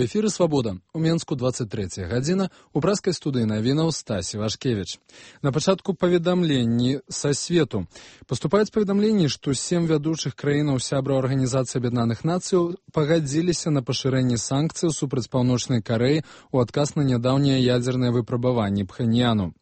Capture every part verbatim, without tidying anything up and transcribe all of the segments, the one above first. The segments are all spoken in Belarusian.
У эфіры «Свабода». У Менску двадцать третья гадзіна. У праскай студыі навінаў Стасі Вашкевіч. На пачатку паведамленні са свету. Паступаюць паведамленні, што сем вядучых краінаў сябраў Арганізацыі Аб'яднаных Нацыяў пагадзіліся на пашырэнне санкцыяў супраць Паўночнай Карэі ў адказ на нядаўнія ядзерныя выпрабаванні Пхеньяну.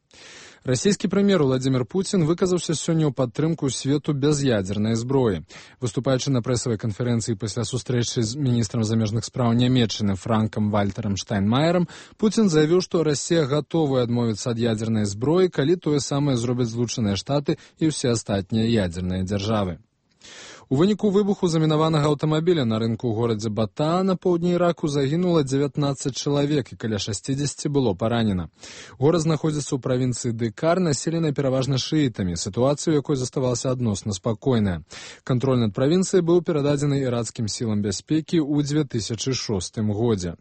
Расійскі прэм'ер Владзімір Пуцін выказаўся сёння ў падтрымку свету без ядзернай зброі. Выступаючы на прэсавай канферэнцыі пасля сустрэчы з міністрам замежных спраў Нямецчыны Франкам Вальтарам Штайнмаерам, Пуцін заявіў, што Расія гатовая адмовіцца ад ядзернай зброі, калі тое самае зробяць Злучаныя Штаты і ўсе астатнія ядзерныя дзяржавы. У выніку выбуху замінаванага аўтамабіля на рынку ў горадзе Батаа на поўдні Іраку загінула дзевятнаццаць чалавек і каля шасцідзесяці было паранена. Горад знаходзіцца ў правінцыі Дыкар, населенай пераважна шыітамі, сітуацыя, у якой заставалася адносна спакойная. Кантроль над правінцыяй быў перададзены іракскім сілам бяспекі ў дзве тысячы шостым годзе.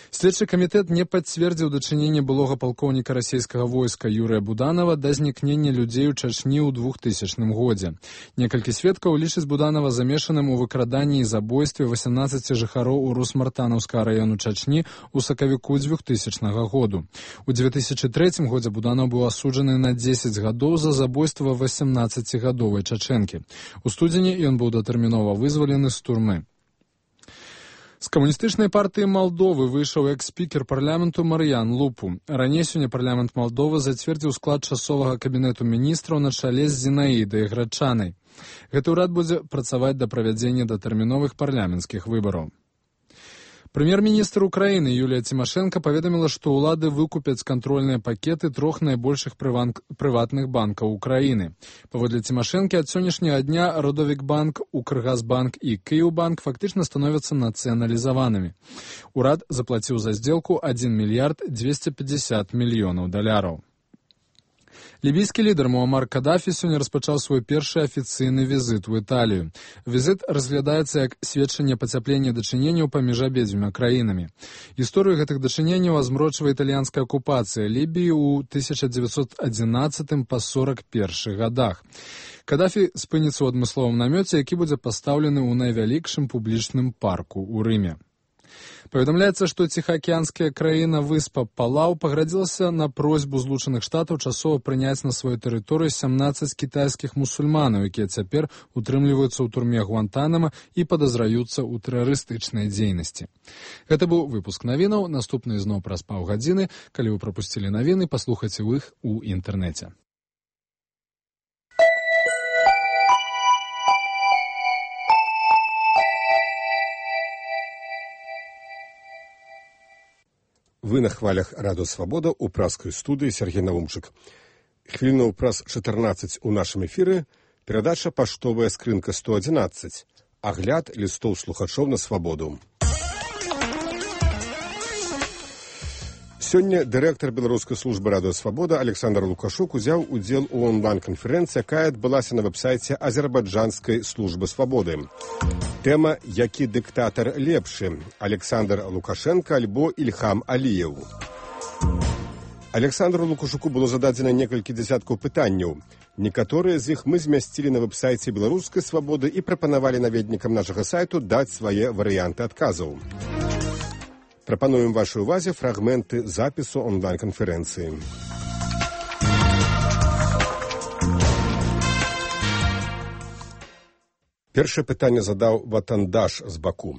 Следчы камітэт не пацвердзіў дачыненне былога палкоўніка расійскага войска Юрыя Буданова да знікнення людзей у Чачні ў двухтысячным годзе. Некалькі сведкаў лічаць Буданова замешаным у выкраданні і забойстве васямнаццаці жыхароў у Русмартанаўскага раёну Чачні ў сакавіку двухтысячнага году. У дзве тысячы трэцім годзе Буданов быў асуджаны на дзесяць гадоў за забойства васямнаццацігадовай чачэнкі. У студзені ён быў датэрмінова вызвалены з турмы. З камуністычнай партыі Малдовы выйшаў экс-спікер парламенту Мар'ян Лупу. Раней сёння парламент Малдовы зацвердзіў склад часовага кабінету міністраў на чале з Зінаідай Грачанай. Гэты ўрад будзе працаваць да правядзення датэрміновых парламенцкіх выбараў. Прэм'ер-міністр Украіны Юлія Цімашэнка паведаміла, што ўлады выкупяць кантрольныя пакеты трох найбольшых прыватных банкаў Украіны. Паводле Цімашэнкі, ад сённяшняга дня Родовікбанк, Укргазбанк і Кіеўбанк фактычна становяцца нацыяналізаванымі. Урад заплаціў за здзелку адзін мільярд дзвесце пятьдесят мільёнаў даляраў. Лібійскі лідар Муамар Кадафі сёння распачаў свой першы афіцыйны візіт у Італію. Візіт разглядаецца як сведчанне пацяплення дачыненняў паміж абедзвюма краінамі. Гісторыю гэтых дачыненняў азмрочвае італьянская акупацыя Лібіі ў тысяча дзевяцьсот адзінаццатым па сорак першы гадах. Кадафі спыніцца ў адмысловым намёце, які будзе пастаўлены ў найвялікшым публічным парку ў Рыме. Паведамляецца, што ціхаакіянская краіна выспа Палау паградзілася на просьбу Злучаных Штатаў часова прыняць на сваю тэрыторыю сямнаццаць кітайскіх мусульманаў, якія цяпер утрымліваюцца ў турме Гуантанама і падазраюцца ў тэрарыстычнай дзейнасці. Гэта быў выпуск навінаў. Наступны зноў праз паўгадзіны. Калі вы прапусцілі навіны, паслухайце іх у інтэрнэце. Вы на хвалях Радыё Свабода ў праскай студыі Сергей Наумчык. Хвілінаў праз чатырнаццаць у нашым эфіры перадача «Паштовая скрынка сто адзінаццаць». Агляд лістоў слухачоў на свабоду. Сёння дырэктар беларускай службы Радыё Свабода Александр Лукашук узяў удзел у онлайн-канферэнцыі, якая адбылася на вэб-сайце азербайджанскай службы свабоды. Тэма «Які дыктатар лепшы? Александр Лукашенко альбо Ільхам Аліеў». Александру Лукашуку было зададзена некалькі дзясяткаў пытанняў. Некаторыя з іх мы змясцілі на вэб-сайце беларускай свабоды і прапанавалі наведнікам нашага сайту даць свае варыянты адказаў. Прапануем вашай увазе фрагменты запісу онлайн-канферэнцыі. Першае пытанне задаў Ватандаш з Баку.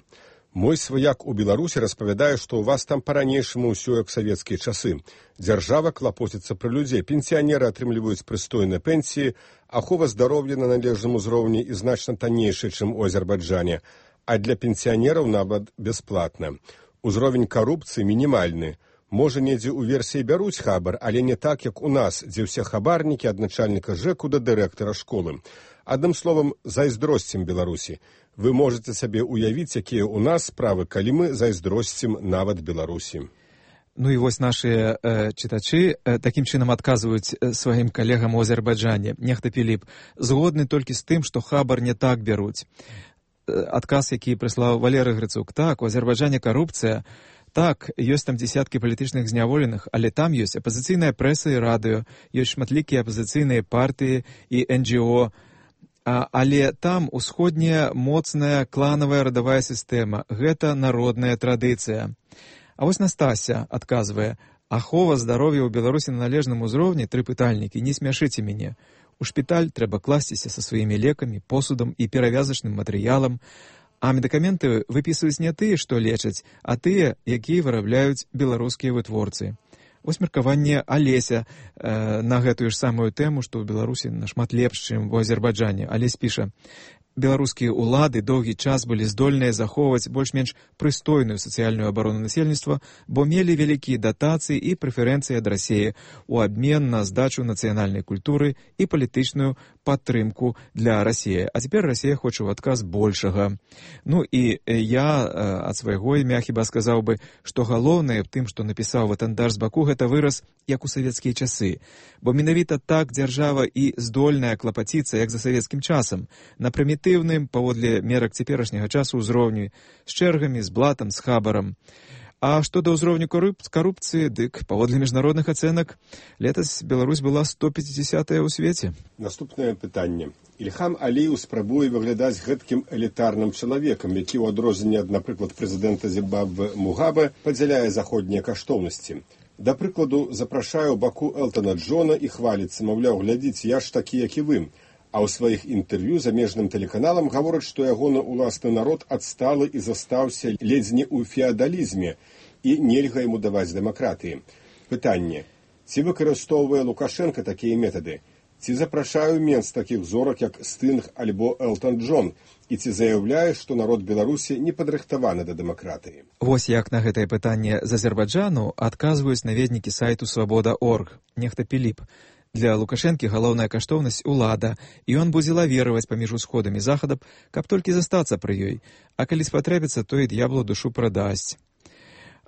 Мой сваяк у Беларусі распавядае, што ў вас там па-ранейшаму ўсё як савецкія часы. Дзяржава клапоціцца пра людзей, пенсіянеры атрымліваюць прыстойныя пенсіі, ахова здароўя на належным узроўні і значна таннейшая, чым у Азербайджане, а для пенсіянераў нават бясплатна. Узровень карупцыі мінімальны. Можа, недзе ў версіі бяруць хабар, але не так, як у нас, дзе ўсе хабарнікі ад начальніка ЖЭКу да дырэктара школы. Адным словам, зайздросцім Беларусі. Вы можете сабе уявіць, якія ў нас справы, калі мы зайздросцім нават Беларусі. Ну і вось нашыя э, чытачы э, такім чынам адказваюць э, сваім калегам у Азербайджане. Нехта Піліп згодны толькі з тым, што хабар не так бяруць. Адказ, які прыслаў Валерый Грыцук. Так, у Азербайджане карупцыя. Так, ёсць там дзесяткі палітычных зняволеных, але там ёсць апазіцыйная прэса і радыё, ёсць шматлікія апазіцыйныя партыі і эн джі о. Але там усходняя моцная кланавая радавая сістэма. Гэта народная традыцыя. А вось Настася адказвае: ахова здароўя ў Беларусі на належным узроўні, тры пытальнікі, не смяшыце мяне. У шпіталь трэба класціся са сваімі лекамі, посудам і перавязачным матэрыялам, а медыкаменты выпісваюць не тыя, што лечаць, а тыя, якія вырабляюць беларускія вытворцы. Вось меркаванне Алеся э, на гэтую ж самую тэму, што ў Беларусі нашмат лепш, чым у Азербайджане. Алесь піша: беларускія ўлады доўгі час былі здольныя захоўваць больш-менш прыстойную сацыяльную абарону насельніцтва, бо мелі вялікія датацыі і прэферэнцыі ад Расіі у абмен на здачу нацыянальнай культуры і палітычную падтрымку для Расіі. А цяпер Расія хоча ў адказ большага. Ну і я ад свайго імя хіба сказаў бы, што галоўнае в тым, што напісаў Ватандар з Баку, гэта выраз як у савецкія часы. Бо менавіта так дзяржава і здольная клапаціцца, як за савецкім часам, на прымітыўным, паводле мерак цяперашняга часу ўзроўню, з чэргамі, з блатам, з хабарам. А што да ўзроўню карупцыі, дык, паводле міжнародных ацэнак, летась Беларусь была сто пяцідзясятая ў свеце. Наступнае пытанне. Ільхам Аліеў спрабуе выглядаць гэткім элітарным чалавекам, які ў адрозненне ад, напрыклад, прэзідэнта Зімбабве Мугабе падзяляе заходнія каштоўнасці. Да прыкладу, запрашае ў Баку Элтона Джона і хваліцца, маўляў, глядзіце, я ж такі, як і вы. А ў сваіх інтэрв'ю замежным тэлеканалам гавораць, што ягоны ўласны народ адсталы і застаўся ледзь не ў феадалізме і нельга яму даваць дэмакратыі. Пытанне. Ці выкарыстоўвае Лукашенка такія метады? Ці запрашае менш такіх зорак, як Стынг альбо Элтон Джон? І ці заяўляе, што народ Беларусі не падрыхтаваны да дэмакратыі? Вось як на гэтае пытанне з Азербайджану адказваюць наведнікі сайту свабода точка орг. Нехта Піліп. Для Лукашэнкі галоўная каштоўнасць улада, і ён будзе лавіраваць паміж усходам і захадам, каб толькі застацца пры ёй. А калі спатрэбіцца, то і д'яблу душу прадасць.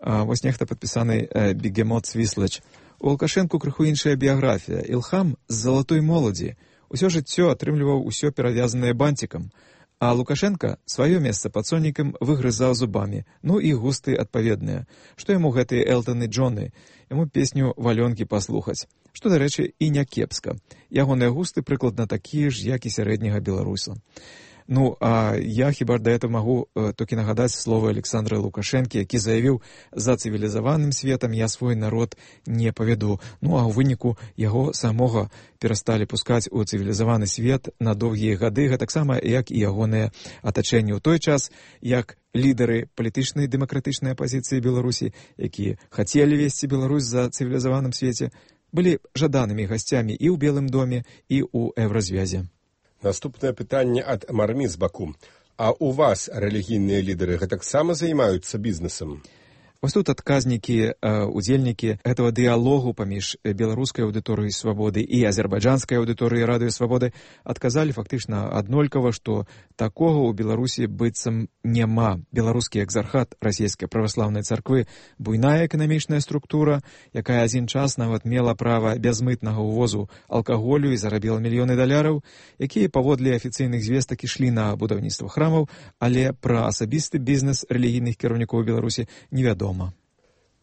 А, вось нехта падпісаны э, Бегемот Свіслач. У Лукашэнку крыху іншая біяграфія. Ілхам з залатой моладзі. Усё жыццё атрымліваў усё перавязанае бантикам. А Лукашенко сваё месца пад сонікам выгрызаў зубамі. Ну і густы адпаведныя. Што яму гэтыя Элтоны Джоны? Яму песню «Валёнкі» паслухаць. Што, дарэчы, і не кепска. Ягоныя густы прыкладна такія ж, як і сярэдняга беларуса. Ну, а я хіба да этого магу э, толькі нагадаць словы Александра Лукашэнкі, які заявіў: за цывілізаваным светам я свой народ не павяду. Ну, а ў выніку яго самога перасталі пускаць у цывілізаваны свет на доўгія гады, гэтаксама як і ягоныя атачэнні ў той час, як лідары палітычнай дэмакратычнай апазіцыі Беларусі, якія хацелі весці Беларусь за цывілізаваным свеце, былі жаданымі гасцямі і ў Белым доме, і ў Еўразвязе. Наступнае пытанне ад Мармі з Баку. А у вас рэлігійныя лідары гэтаксама займаюцца бізнесам? Вось тут адказнікі, удзельнікі гэтага дыялогу паміж беларускай аўдыторыяй свабоды і азербайджанскай аўдыторыяй радыё свабоды адказалі фактычна аднолькава, што такога ў Беларусі быццам няма. Беларускі экзархат расійскай праваслаўнай царквы — буйная эканамічная структура, якая адзін час нават мела права бязмытнага ўвозу алкаголю і зарабіла мільёны даляраў, якія паводле афіцыйных звестак ішлі на будаўніцтва храмаў, але пра асабісты бізнес рэлігійных кіраўнікоў Беларусі невядома.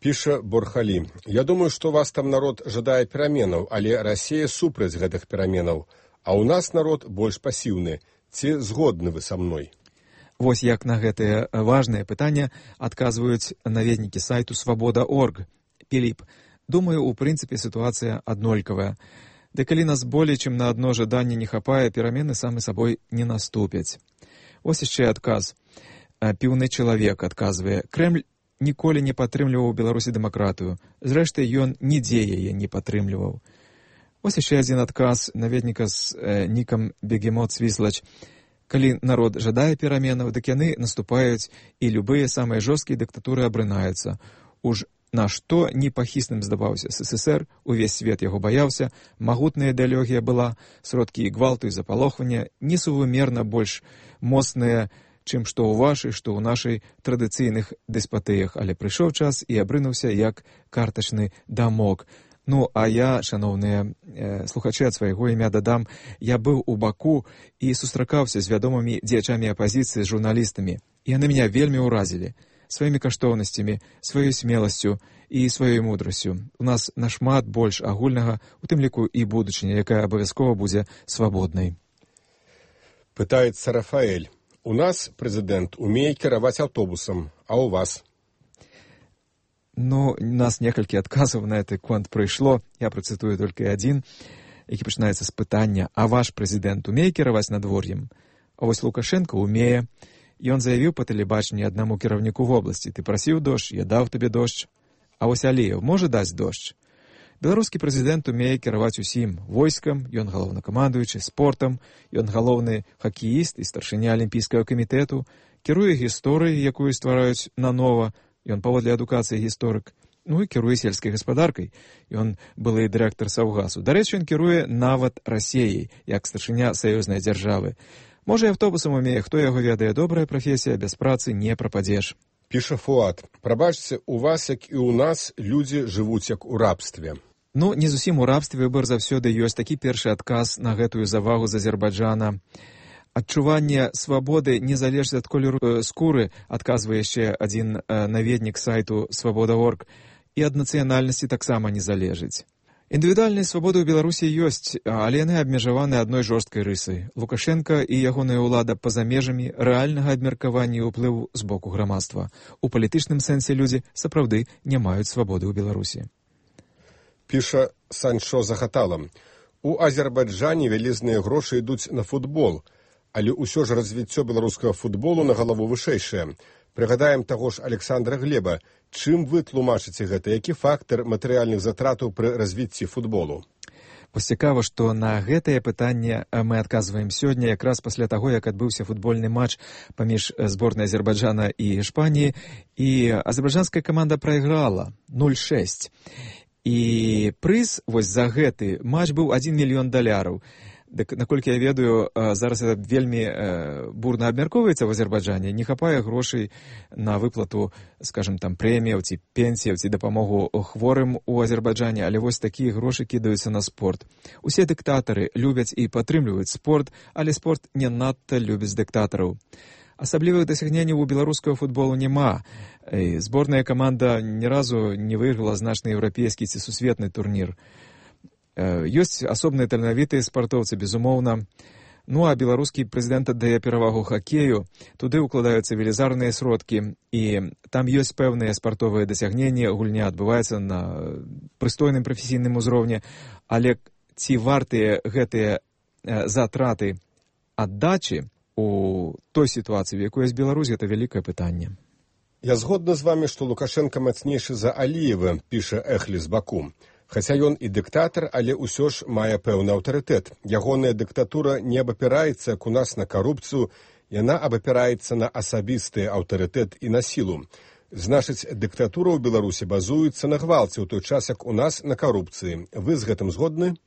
Піша Борхалі. Я думаю, што вас там народ жадае пераменаў, але Расія супраць гэтых пераменаў. А ў нас народ больш пасіўны. Ці згодны вы са мной? Вось як на гэтае важнае пытанне адказваюць наведнікі сайту свабода точка орг. Піліп. Думаю, у прынцыпе сітуацыя аднолькавая. Ды калі нас болей, чым на адно жаданне не хапае, перамены самі сабой не наступяць. Вось яшчэ адказ. Піўны чалавек адказвае: Крэмль ніколі не падтрымліваў у Беларусі дэмакратыю. Зрэшты, ён нідзе яе не падтрымліваў. Вось яшчэ адзін адказ наведніка з э, нікам Бегемот Свіслач. Калі народ жадае пераменаў, дык яны наступаюць, і любыя самыя жорсткія дыктатуры абрынаюцца. Уж на што непахісным здаваўся СССР, увесь свет яго баяўся, магутная ідэалогія была, сродкі і гвалту і запалохвання несувымерна больш моцныя, чым што ў вашай, што ў нашай традыцыйных дэспатыях, але прыйшоў час і абрынуўся як картачны дамок. Ну, а я, шаноўныя э, слухачы, ад свайго імя дадам, я быў у Баку і сустракаўся з вядомымі дзеячамі апазіцыі, з журналістамі. Яны мяне вельмі ўразілі сваімі каштоўнасцямі, сваёй смеласцю і сваёй мудрасцю. У нас нашмат больш агульнага, у тым ліку і будучыня, якая абавязкова будзе свабоднай. Пытается Рафаэль. У нас президент умеет кіраваць аўтобусам, а у вас? Ну, у нас некалькі адказаў на гэты конт прыйшло. Я працытую толькі адзін, які пачынаецца з пытання: а ваш прэзідэнт умее кіраваць надвор'ем? А вось Лукашенко умее. Ён заявіў па тэлебачанні аднаму кіраўніку вобласці: ты прасіў дождж, я даў табе дождж. А вось Аліеў можа даць дождж? Беларускі прэзідэнт умее кіраваць усім: войскам, ён галоўнакамандуючы, спортам, ён галоўны хакеіст і старшыня алімпійскага камітэту, кіруе гісторыяй, якую ствараюць нанова, ён паводле адукацыі гісторык, ну і кіруе сельскай гаспадаркай, ён былы дырэктар Саўгасу. Дарэчы, ён кіруе нават Расіяй, як старшыня саюзнай дзяржавы. Можа, і аўтобусам умее, хто яго ведае, добрая прафесія, без працы не прападзеш. Піша Фуад. Прабачце, у вас, як і ў нас, людзі жывуць як у рабстве. Ну, не зусім у рабстве, выбар заўсёды ёсць. Такі першы адказ на гэтую завагу з Азербайджана. Адчуванне свабоды не залежыць ад колеру скуры, адказвае яшчэ адзін наведнік сайту свабода точка орг, і ад нацыянальнасці таксама не залежыць. Індывідуальныя свабоды ў Беларусі ёсць, але яны абмежаваны адной жорсткай рысай. Лукашенка і ягоная ўлада па-за межамі рэальнага абмеркавання і ўплыву з боку грамадства. У палітычным сэнсе людзі сапраўды не маюць свабоды ў Беларусі. Піша Санчо Захатала. У Азербайджане вялізныя грошы ідуць на футбол, але ўсё ж развіццё беларускага футболу на галаву вышэйшае. Прыгадаем таго ж Александра Глеба. Чым вы тлумачыце гэта? Які фактар матэрыяльных затратаў пры развіцці футболу? Вось цікава, што на гэтае пытанне мы адказваем сёння, якраз пасля таго, як адбыўся футбольны матч паміж зборнай Азербайджана і Іспаніі, і азербайджанская каманда прайграла нуль шэсць. І прыз вось за гэты матч быў адзін мільён даляраў. Дык, наколькі я ведаю, зараз это вельмі бурна абмяркоўваецца ў Азербайджане, не хапае грошай на выплату, скажем, там, прэміяў ці пенсіяў ці дапамогу хворым у Азербайджане, але вось такія грошы кідаюцца на спорт. Усе дыктатары любяць і падтрымліваюць спорт, але спорт не надта любіць дыктатараў. Асаблівых дасягненняў у беларускага футболу няма. Зборная каманда ні разу не выйграла значны еўрапейскі ці сусветны турнір. Ёсць асобныя таленавітыя спартоўцы, безумоўна. Ну, а беларускі прэзідэнт аддае перавагу хакею. Туды ўкладаюцца велізарныя сродкі, і там ёсць пэўныя спартовыя дасягненні, гульня адбываецца на прыстойным прафесійным узроўні, але ці вартыя гэтыя затраты аддачы у той сітуацыі, в якой ёсць Беларусь, гэта вялікае пытанне. Я згодна з вамі, што Лукашенка мацнейшы за Аліева, піша Эхлі з Баку. Хаця ён і дыктатар, але ўсё ж мае пэўны аўтарытэт. Ягоная дыктатура не абапіраецца, як у нас, на карупцыю, яна абапіраецца на асабісты аўтарытэт і на сілу. Значыць, дыктатура ў Беларусі базуецца на гвалце, ў той час, як у нас на карупцыі. Вы з гэтым згодны?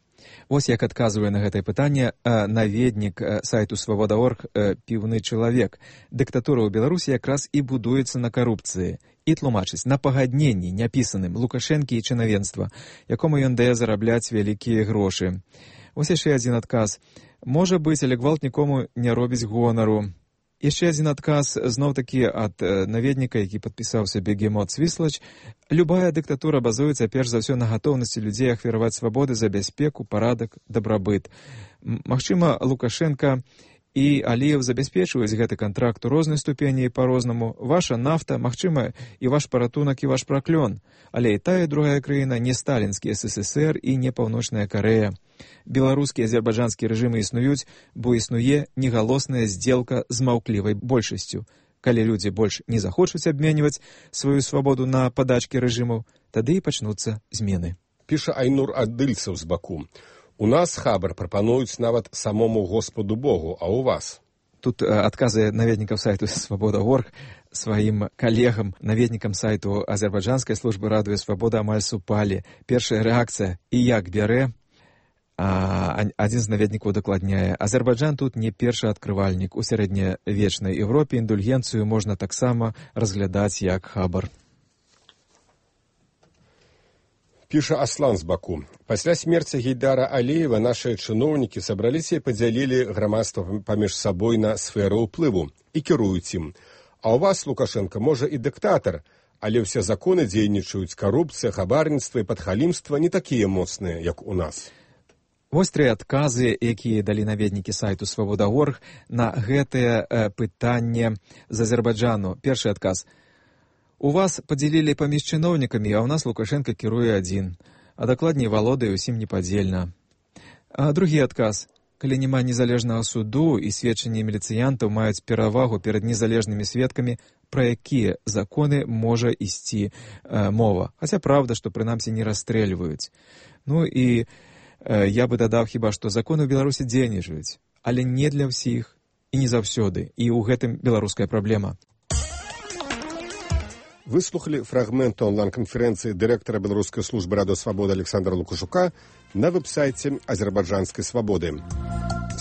Вось як адказвае на гэтае пытанне наведнік сайту свабода точка орг «Піўны чалавек». Дыктатура ў Беларусі якраз і будуецца на карупцыі. І тлумачыць на пагадненні няпісаным Лукашэнкі і чынавенства, якому ён дае зарабляць вялікія грошы. Вось яшчэ адзін адказ. Можа быць, але гвалт нікому не робіць гонару. Яшчэ адзін адказ, зноў-такі ад наведніка, які падпісаўся Бегемот Свіслач. Любая дыктатура базуецца перш за ўсё на гатоўнасці людзей ахвяраваць свабоды за бяспеку, парадак, дабрабыт. Магчыма, Лукашенка і Аліеў забяспечваюць гэты кантракт у рознай ступені і па-рознаму. Ваша нафта, магчыма, і ваш паратунак, і ваш праклён. Але і тая, і другая краіна не сталінскі эс эс эс эр і не Паўночная Карэя. Беларускі і азербайджанскі рэжымы існуюць, бо існуе негалосная здзелка з маўклівай большасцю. Калі людзі больш не захочуць абменьваць сваю свабоду на падачкі рэжымаў, тады і пачнуцца змены. Піша Айнур Адыльцаў з Баку. У нас хабар прапануюць нават самому Господу Богу, а у вас? Тут адказы наведнікаў сайту свабода точка орг сваім калегам, наведнікам сайту азербайджанскай службы радыё Свабода амаль супалі. Першая рэакцыя «І як бярэ?» А адзін з наведнікаў дакладняе: Азербайджан тут не першы адкрывальнік. У сярэднявечнай Еўропе індульгенцыю можна таксама разглядаць як хабар. Піша Аслан з Баку. Пасля смерці Гейдара Аліева нашыя чыноўнікі сабраліся і падзялілі грамадства паміж сабой на сферу ўплыву і кіруюць ім. А ў вас, Лукашенко, можа і дыктатар, але ўсе законы дзейнічаюць, карупцыя, хабарніцтва і падхалімства не такія моцныя, як у нас. Вось тры адказы, якія далі наведнікі сайту свабода точка орг на гэтае э, пытанне з Азербайджану. Першы адказ. У вас падзялілі паміж чыноўнікамі, а ў нас Лукашенко кіруе адзін, а дакладней валодае ўсім непадзельна. А другі адказ. Калі няма незалежнага суду і сведчанні міліцыянтаў маюць перавагу перад незалежнымі сведкамі, пра якія законы можа ісці э, мова. Хаця праўда, што прынамсі не расстрэльваюць. Ну і я бы дадаў хіба, што законы ў Беларусі дзейнічаюць, але не для ўсіх і не заўсёды, і ў гэтым беларуская праблема. Выслухалі фрагмент онлайн-канферэнцыі дырэктара Беларускай службы Радыё Свабода Александра Лукашука на вэб-сайце Азербайджанскай свабоды.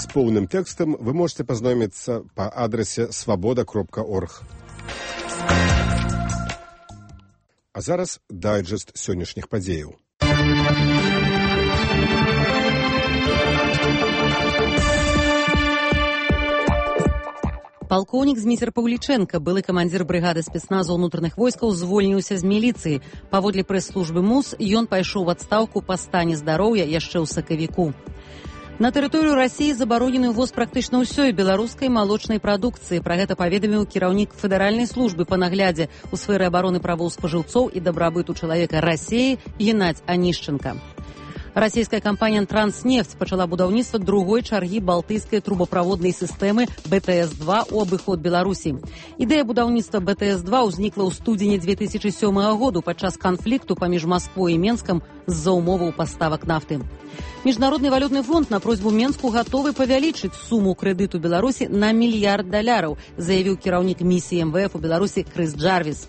З поўным тэкстам вы можете пазнаёміцца па адрасе свабода кропка орг. А зараз дайджэст сённяшніх падзеяў. Палкоўнік Зміцер Паўлічэнка, былы камандзір брыгады спецназу ўнутраных войскаў, звольніўся з міліцыі. Паводле прэс-службы МУС, ён пайшоў у адстаўку па стане здароўя яшчэ ў сакавіку. На тэрыторыю Расіі забаронены ўвоз практычна ўсёй беларускай малочнай прадукцыі. Пра гэта паведаміў кіраўнік федэральнай службы па наглядзе ў сферы абароны правоў спажыўцоў і дабрабыту чалавека Расіі Геннадзь Анішченка. Расійская кампанія «Транснефть» пачала будаўніцтва другой чаргі балтыйскай трубаправоднай сістэмы бэ тэ эс два ў абыход Беларусі. Ідэя будаўніцтва бэ тэ эс два ўзнікла ў студзені дзве тысячы сёмага году падчас канфлікту паміж Масквой і Менскам з-за умоваў паставак нафты. Міжнародны валютны фонд на просьбу Менску гатовы павялічыць суму крэдыту Беларусі на мільярд даляраў, заявіў кіраўнік місіі эм вэ эф у Беларусі Крыс Джарвіс.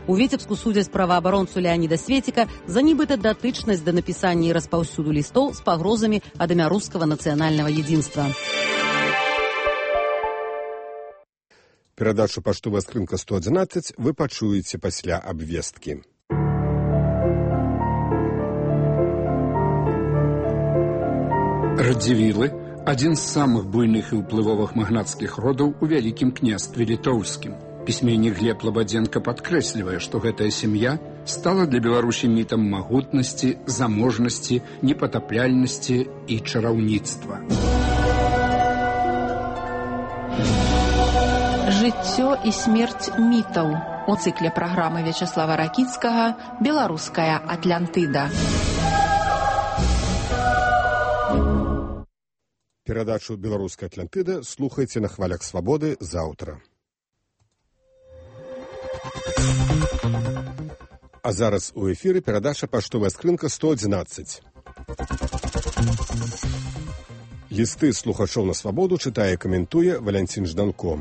У Віцебску судзяць праваабаронцу Леаніда Светіка за нібыта датычнасць да напісання і распаўсюду лістоў з пагрозамі ад імя рускага нацыянальнага единства. Перадачу «Паштовая скрынка сто адзінаццаць» вы пачуеце пасля абвесткі. Радзівілы – адзін з самых буйных і ўплывовых магнацкіх родаў у Вялікім княстве літоўскім. Пісьменнік Глеб Лабадзенка падкрэслівае, што гэтая сям'я стала для Беларусі мітам магутнасці, заможнасці, непатапляльнасці і чараўніцтва. Жыццё і смерць мітаў у цыкле праграмы Вячаслава Ракіцкага «Беларуская Атлантыда». Перадачу «Беларуская Атлантыда» слухайце на хвалях свабоды заўтра. А зараз у эфіры перадача «Паштовая скрынка сто адзінаццаць». Лісты слухачоў на свабоду чытае і каментуе Валянцін Жданко.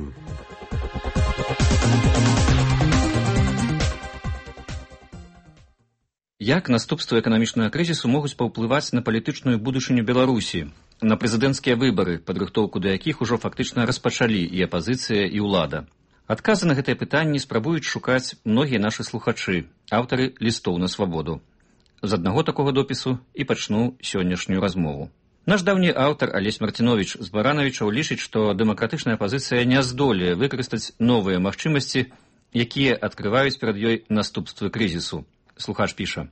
Як наступствы эканамічнага крызісу могуць паўплываць на палітычную будучыню Беларусі, на прэзідэнцкія выбары, падрыхтоўку да якіх ужо фактычна распачалі і апазіцыя, і ўлада? Адказы на гэтае пытанне спрабуюць шукаць многія нашы слухачы, аўтары лістоў на свабоду. З аднаго такога допісу і пачну сённяшнюю размову. Наш даўні аўтар Алесь Марціновіч з Баранавічаў лічыць, што дэмакратычная апазіцыя не здолее выкарыстаць новыя магчымасці, якія адкрываюць перад ёй наступствы крызісу. Слухач піша.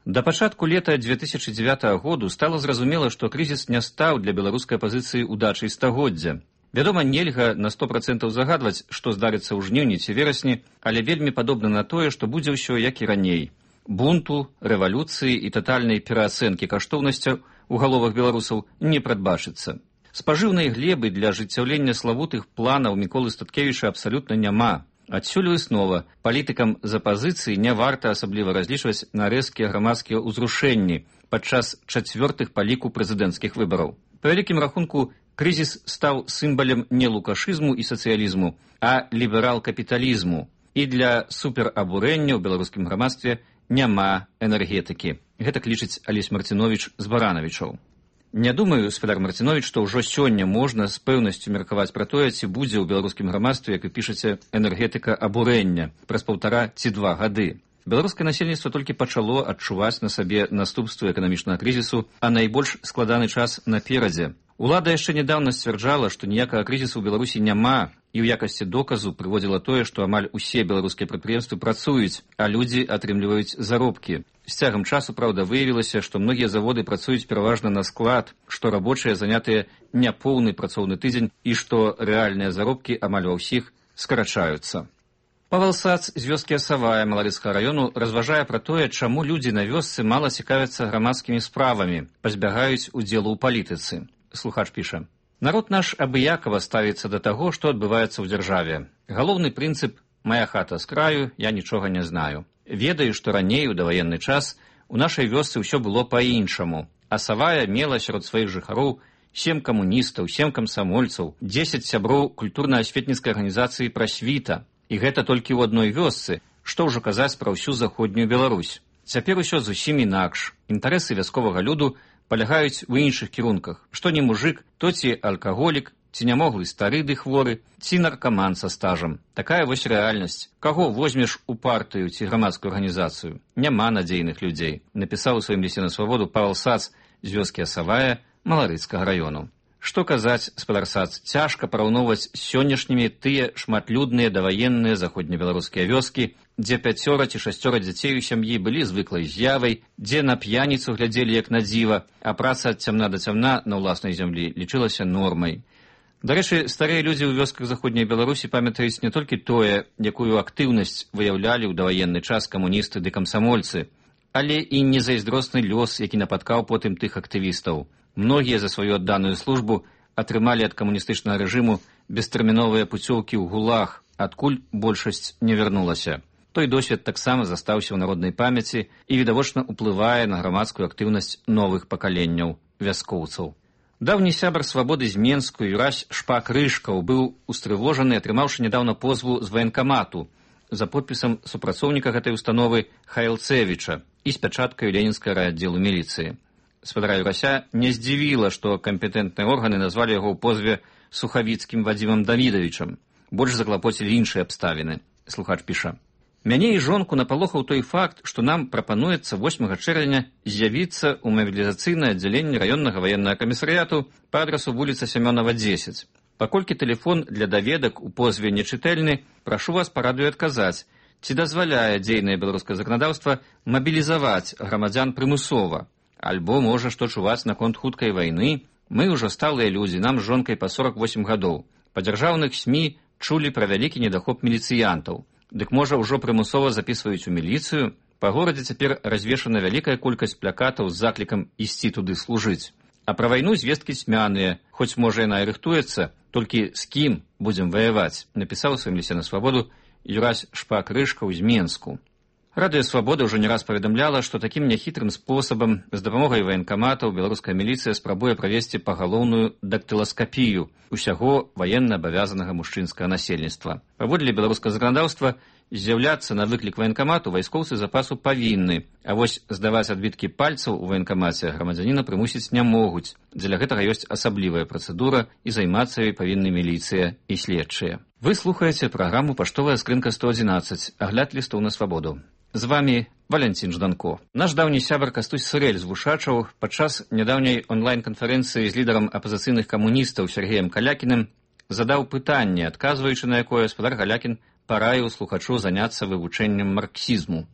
Да пачатку лета дзве тысячы дзевятага году стала зразумела, што крызіс не стаў для беларускай апазіцыі удачай стагоддзя. Вядома, нельга на сто процентаў загадваць, што здарыцца ў жніўні ці верасні, але вельмі падобна на тое, што будзе ўсё як і раней. Бунту, рэвалюцыі і татальнай пераацэнкі каштоўнасцяў у галовах беларусаў не прадбачыцца. Спажыўнай глебы для ажыццяўлення славутых планаў Міколы Статкевіча абсалютна няма. Адсюль выснова, палітыкам з апазіцыі не варта асабліва разлічваць на рэзкія грамадскія ўзрушэнні падчас чацвёртых па ліку прэзідэнцкіх выбараў. Па вялікім рахунку, крызіс стаў сімвалем не лукашызму і сацыялізму, а ліберал-капіталізму. І для суперабурэння ў беларускім грамадстве няма энергетыкі. Гэтак лічыць Алесь Марціновіч з Баранавічаў. Не думаю, Сфедар Марціновіч, што ўжо сёння можна з пэўнасцю меркаваць пра тое, ці будзе ў беларускім грамадстве, як вы пішаце, энергетыка абурэння праз паўтара ці два гады. Беларускае насельніцтва толькі пачало адчуваць на сабе наступствы эканамічнага крызісу, а найбольш складаны час наперадзе. Улада яшчэ нядаўна сцвярджала, што ніякага крызісу ў Беларусі няма, і ў якасці доказу прыводзіла тое, што амаль усе беларускія прадпрыемствы працуюць, а людзі атрымліваюць заробкі. З цягам часу, праўда, выявілася, што многія заводы працуюць пераважна на склад, што рабочыя занятыя няпоўны працоўны тыдзень і што рэальныя заробкі амаль ва ўсіх скарачаюцца. Павел Сац з вёскі Асавая Маларыцкага раёну разважае пра тое, чаму людзі на вёсцы мала цікавяцца грамадскімі справамі, пазбягаюць удзелу ў палітыцы. Слухач піша: «Народ наш абыякава ставіцца да таго, што адбываецца ў дзяржаве. Галоўны прынцып «Мая хата з краю, я нічога не знаю». Ведаю, што раней, у даваенны час, у нашай вёсцы ўсё было па-іншаму. Асавая мела сярод сваіх жыхароў сем камуністаў, сем камсамольцаў, дзесяць сяброў культурна-асветніцкай арганізацыі «Прасвіта». І гэта толькі ў адной вёсцы, што ўжо казаць пра ўсю заходнюю Беларусь. Цяпер усё зусім інакш. Інтарэсы вясковага люду палягаюць у іншых кірунках. Што не мужик, то ці алкаголік, ці нямоглы стары ды хворы, ці наркаман са стажам. Такая вось рэальнасць. Каго возьмеш у партыю ці грамадскую арганізацыю? Няма надзейных людзей, напісаў у сваім лісце на свабоду Павел Сац з вёскі Асавая Маларыцкага раёну. Што казаць, спадар Сац, цяжка параўноўваць з сённяшнімі тыя шматлюдныя даваенныя заходнебеларускія вёскі, дзе пяцёра ці шасцёра дзяцей у сям'і былі звыклай з'явай, дзе на п'яніцу глядзелі як на дзіва, а праца ад цямна да цямна на ўласнай зямлі лічылася нормай. Дарэчы, старыя людзі ў вёсках заходняй Беларусі памятаюць не толькі тое, якую актыўнасць выяўлялі ў даваенны час камуністы ды камсамольцы, але і незайздросны лёс, які напаткаў потым тых актывістаў. Многія за сваю адданую службу атрымалі ад камуністычнага рэжыму бестэрміновыя пуцёўкі ў гулаг, адкуль большасць не вярнулася. Той досвед таксама застаўся ў народнай памяці і відавочна ўплывае на грамадскую актыўнасць новых пакаленняў вяскоўцаў. Даўні сябар свабоды з Менску Юрась Шпак-Рыжкаў быў устрывожаны, атрымаўшы нядаўна позву з ваенкамату за подпісам супрацоўніка гэтай установы Хайлцевіча і з пячаткай ленінскага райаддзелу міліцыі. Спадара Юрася не здзівіла, што кампетэнтныя органы назвалі яго ў позве Сухавіцкім Вадзімам Давідавічам. Больш заклапоцілі іншыя абставіны. Слухач піша: «Мяне і жонку напалохаў той факт, што нам прапануецца восьмага чэрвеня з'явіцца ў мабілізацыйнае аддзяленне раённага ваеннага камісарыяту па адрасу вуліца Сямёнава, дзесяць. Паколькі тэлефон для даведак у позве нечытэльны, прашу вас парадую адказаць, ці дазваляе дзейнае беларускае заканадаўства мабілізаваць грамадзян прымусова, альбо, можа, што чуваць наконт хуткай вайны. Мы ўжо сталыя людзі, нам з жонкай па сорак восем гадоў. Па дзяржаўных СМІ чулі пра вялікі недахоп міліцыянтаў. Дык, можа, ўжо прымусова запісваюць у міліцыю? Па горадзе цяпер развешана вялікая колькасць плакатаў з заклікам ісці туды служыць. А пра вайну звесткі цьмяныя, хоць, можа, яна і рыхтуецца, толькі з кім будзем ваяваць, напісаў у сваім лісце на свабоду Юрась Шпак-Рыжкаў з Менску. Радыё «Свабода» ўжо не раз паведамляла, што такім няхітрым спосабам з дапамогай ваенкаматаў беларуская міліцыя спрабуе правесці пагалоўную дактыласкапію усяго ваенна абавязанага мужчынскага насельніцтва. Паводле беларускага заканадаўства, з'яўляцца на выклік ваенкамату вайскоўцы запасу павінны, а вось здаваць адбіткі пальцаў у ваенкамаце грамадзяніна прымусіць не могуць. Дзеля гэтага ёсць асаблівая працэдура і займацца ёй павінны міліцыя і следчыя. Вы слухаеце праграму «Паштовая скрынка сто адзінаццаць», агляд лістоў на свабоду. З вами Валянцін Жданко. Наш даўні сябар Кастусь Сырэль з Вушачаў падчас нядаўняй онлайн-канферэнцыі з лідарам апазіцыйных камуністаў Сергеем Калякіным задаў пытанне, адказваючы на якое спадар Калякін параіў слухачу заняцца вывучэннем марксізму.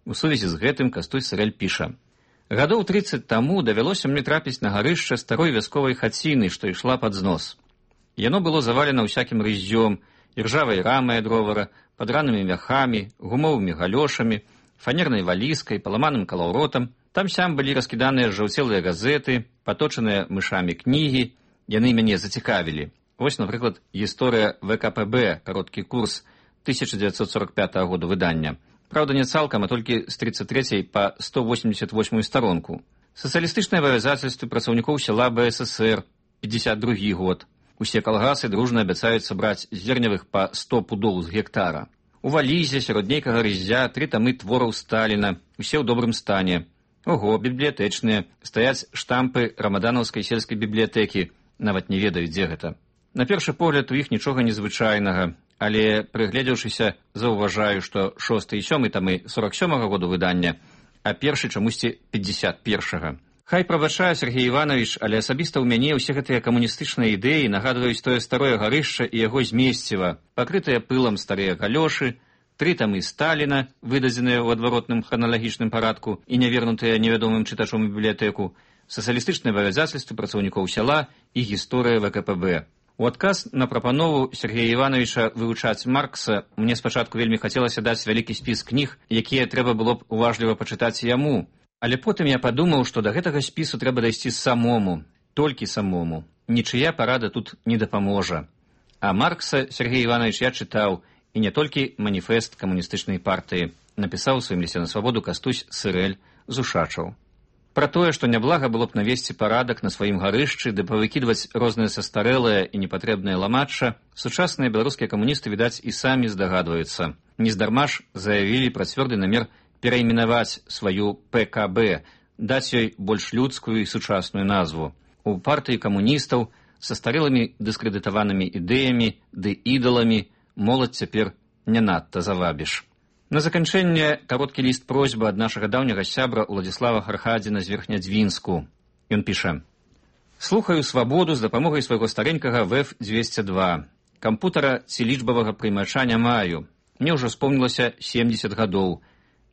У сувязі з гэтым Кастусь Сырэль піша: «Гадоў трыццаць таму давялося мне трапіць на гарышча старой вясковай хаціны, што ішла пад знос. Яно было завалена ўсякім рыззём, іржавай рамай ад ровара, падранымі мяхамі, гумовымі галёшамі, фанернай валізкай, паламаным калаўротам. Там-сям былі раскіданыя жаўцелыя газеты, паточаныя мышамі кнігі. Яны мяне зацікавілі. Вось, напрыклад, гісторыя вэ ка пэ бэ, кароткі курс тысяча дзевяцьсот сорок пятага года выдання. Праўда, не цалкам, а толькі з тридцать трэцяй па сто восемьдесят восьмую старонку. Сацыялістычныя абавязацельствы працаўнікоў села бэ эс эсэр, пятьдесят другі год. Усе калгасы дружна абяцаюць сабраць зерневых па сто пудоў з гектара. У валізе сярод нейкага рыззя тры тамы твораў Сталіна, усе ў добрым стане. Ого, бібліятэчныя, стаяць штампы рамаданаўскай сельскай бібліятэкі, нават не ведаю, дзе гэта. На першы погляд у іх нічога незвычайнага, але, прыгледзеўшыся, заўважаю, што шосты і сёмы тамы сорок сёмага году выдання, а першы чамусьці пятьдесят першага. Хай прабачае Сергей Іванович, але асабіста ў мяне ўсе гэтыя камуністычныя ідэі нагадваюць тое старое гарышча і яго змесціва, пакрытыя пылам старыя галёшы, тры тамы Сталіна, выдадзеныя ў адваротным храналагічным парадку і нявернутыя невядомым чытачом у бібліятэку, сацыялістычныя абавязацельствы працаўнікоў сяла і гісторыя вэ ка пэ бэ. У адказ на прапанову Сергея Івановича вывучаць Маркса мне спачатку вельмі хацелася даць вялікі спіс кніг, якія трэба было б уважліва пачытаць яму. Але потым я падумаў, што да гэтага спісу трэба дайсці самому, толькі самому. Нічыя парада тут не дапаможа. А Маркса Сергей Іванович я чытаў, і не толькі маніфест камуністычнай партыі. Напісаў у сваім лісце на свабоду Кастусь Сырэль з Ушачаў. Пра тое, што няблага было б навесці парадак на сваім гарышчы, ды павыкідваць розныя састарэлыя і непатрэбныя ламачча, сучасныя беларускія камуністы, відаць, і самі здагадваюцца. Нездарма ж заявілі пра цвёрды намер перайменаваць сваю пэ ка бэ, даць ёй больш людскую і сучасную назву. У партыі камуністаў са старэлымі дыскрэдытаванымі ідэямі ды ідаламі моладзь цяпер не надта завабіш. На заканчэнне кароткі ліст просьба ад нашага даўняга сябра Уладзіслава Хархадзіна з Верхнядзвінску. Ён піша: «Слухаю свабоду з дапамогай свайго старенькага вэ эф дзвесце два. Кампутара ці лічбавага прыймача не маю. Мне ўжо спомнілася семдзесят гадоў.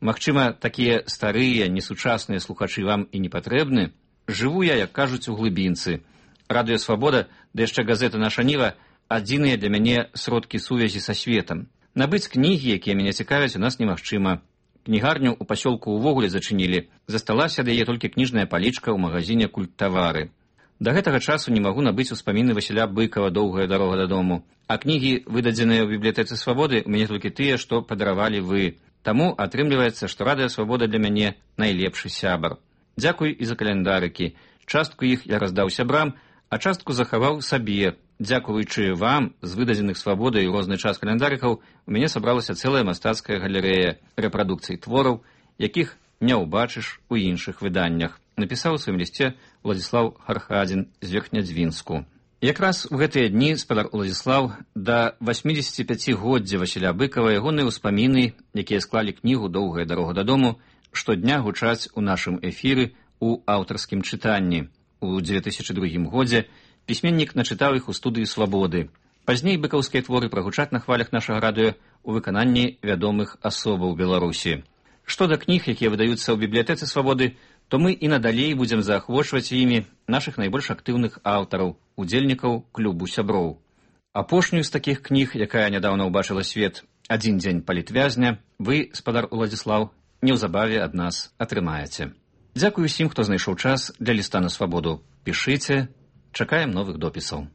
Магчыма, такія старыя, несучасныя слухачы вам і не патрэбны. Жыву я, як кажуць, у глыбінцы. Радыё Свабода, да яшчэ газета «Наша Ніва» адзіныя для мяне сродкі сувязі са светам. Набыць кнігі, якія мяне цікавяць, у нас немагчыма. Кнігарню ў пасёлку ўвогуле зачынілі. Засталася ад яе толькі кніжная палічка ў магазине «Культтавары». Да гэтага часу не магу набыць успаміны Васіля Быкава «Доўгая дарога дадому». А кнігі, выдадзеныя ў бібліятэцы Свабоды, у мяне толькі тыя, што падаравалі вы. Таму атрымліваецца, што Радыё Свабода для мяне найлепшы сябар. Дзякуй і за каляндарыкі. Частку іх я раздаў сябрам, а частку захаваў сабе. Дзякуючы вам, з выдадзеных Свабодай у розны час каляндарыкаў, у мяне сабралася цэлая мастацкая галерэя рэпрадукцый твораў, якіх не ўбачыш у іншых выданнях, напісаў у сваім лісце Уладзіслаў Хархадзін з Верхнядзвінску. Якраз у гэтыя дні спадар Уладзіслаў да васьмідзесяціпяцігоддзя Васіля Быкава ягоныя ўспаміны, якія склалі кнігу «Доўгая дарога дадому», штодня гучаць у нашым эфіры у аўтарскім чытанні. У дзве тысячы другім годзе пісьменнік начытаў іх у студыі Свабоды. Пазней быкаўскія творы прагучаць на хвалях нашага радыё у выкананні вядомых асобаў Беларусі. Што да кніг, якія выдаюцца ў бібліятэцы Свабоды, то мы і надалей будзем заахвочваць імі нашых найбольш актыўных аўтараў, удзельнікаў клубу сяброў. Апошнюю з такіх кніг, якая нядаўна ўбачыла свет, «Адзін дзень палітвязня», вы, спадар Уладзіслаў, неўзабаве ад нас атрымаеце. Дзякую усім, хто знайшоў час для ліста на Свабоду. Пішыце, чакаем новых допісаў.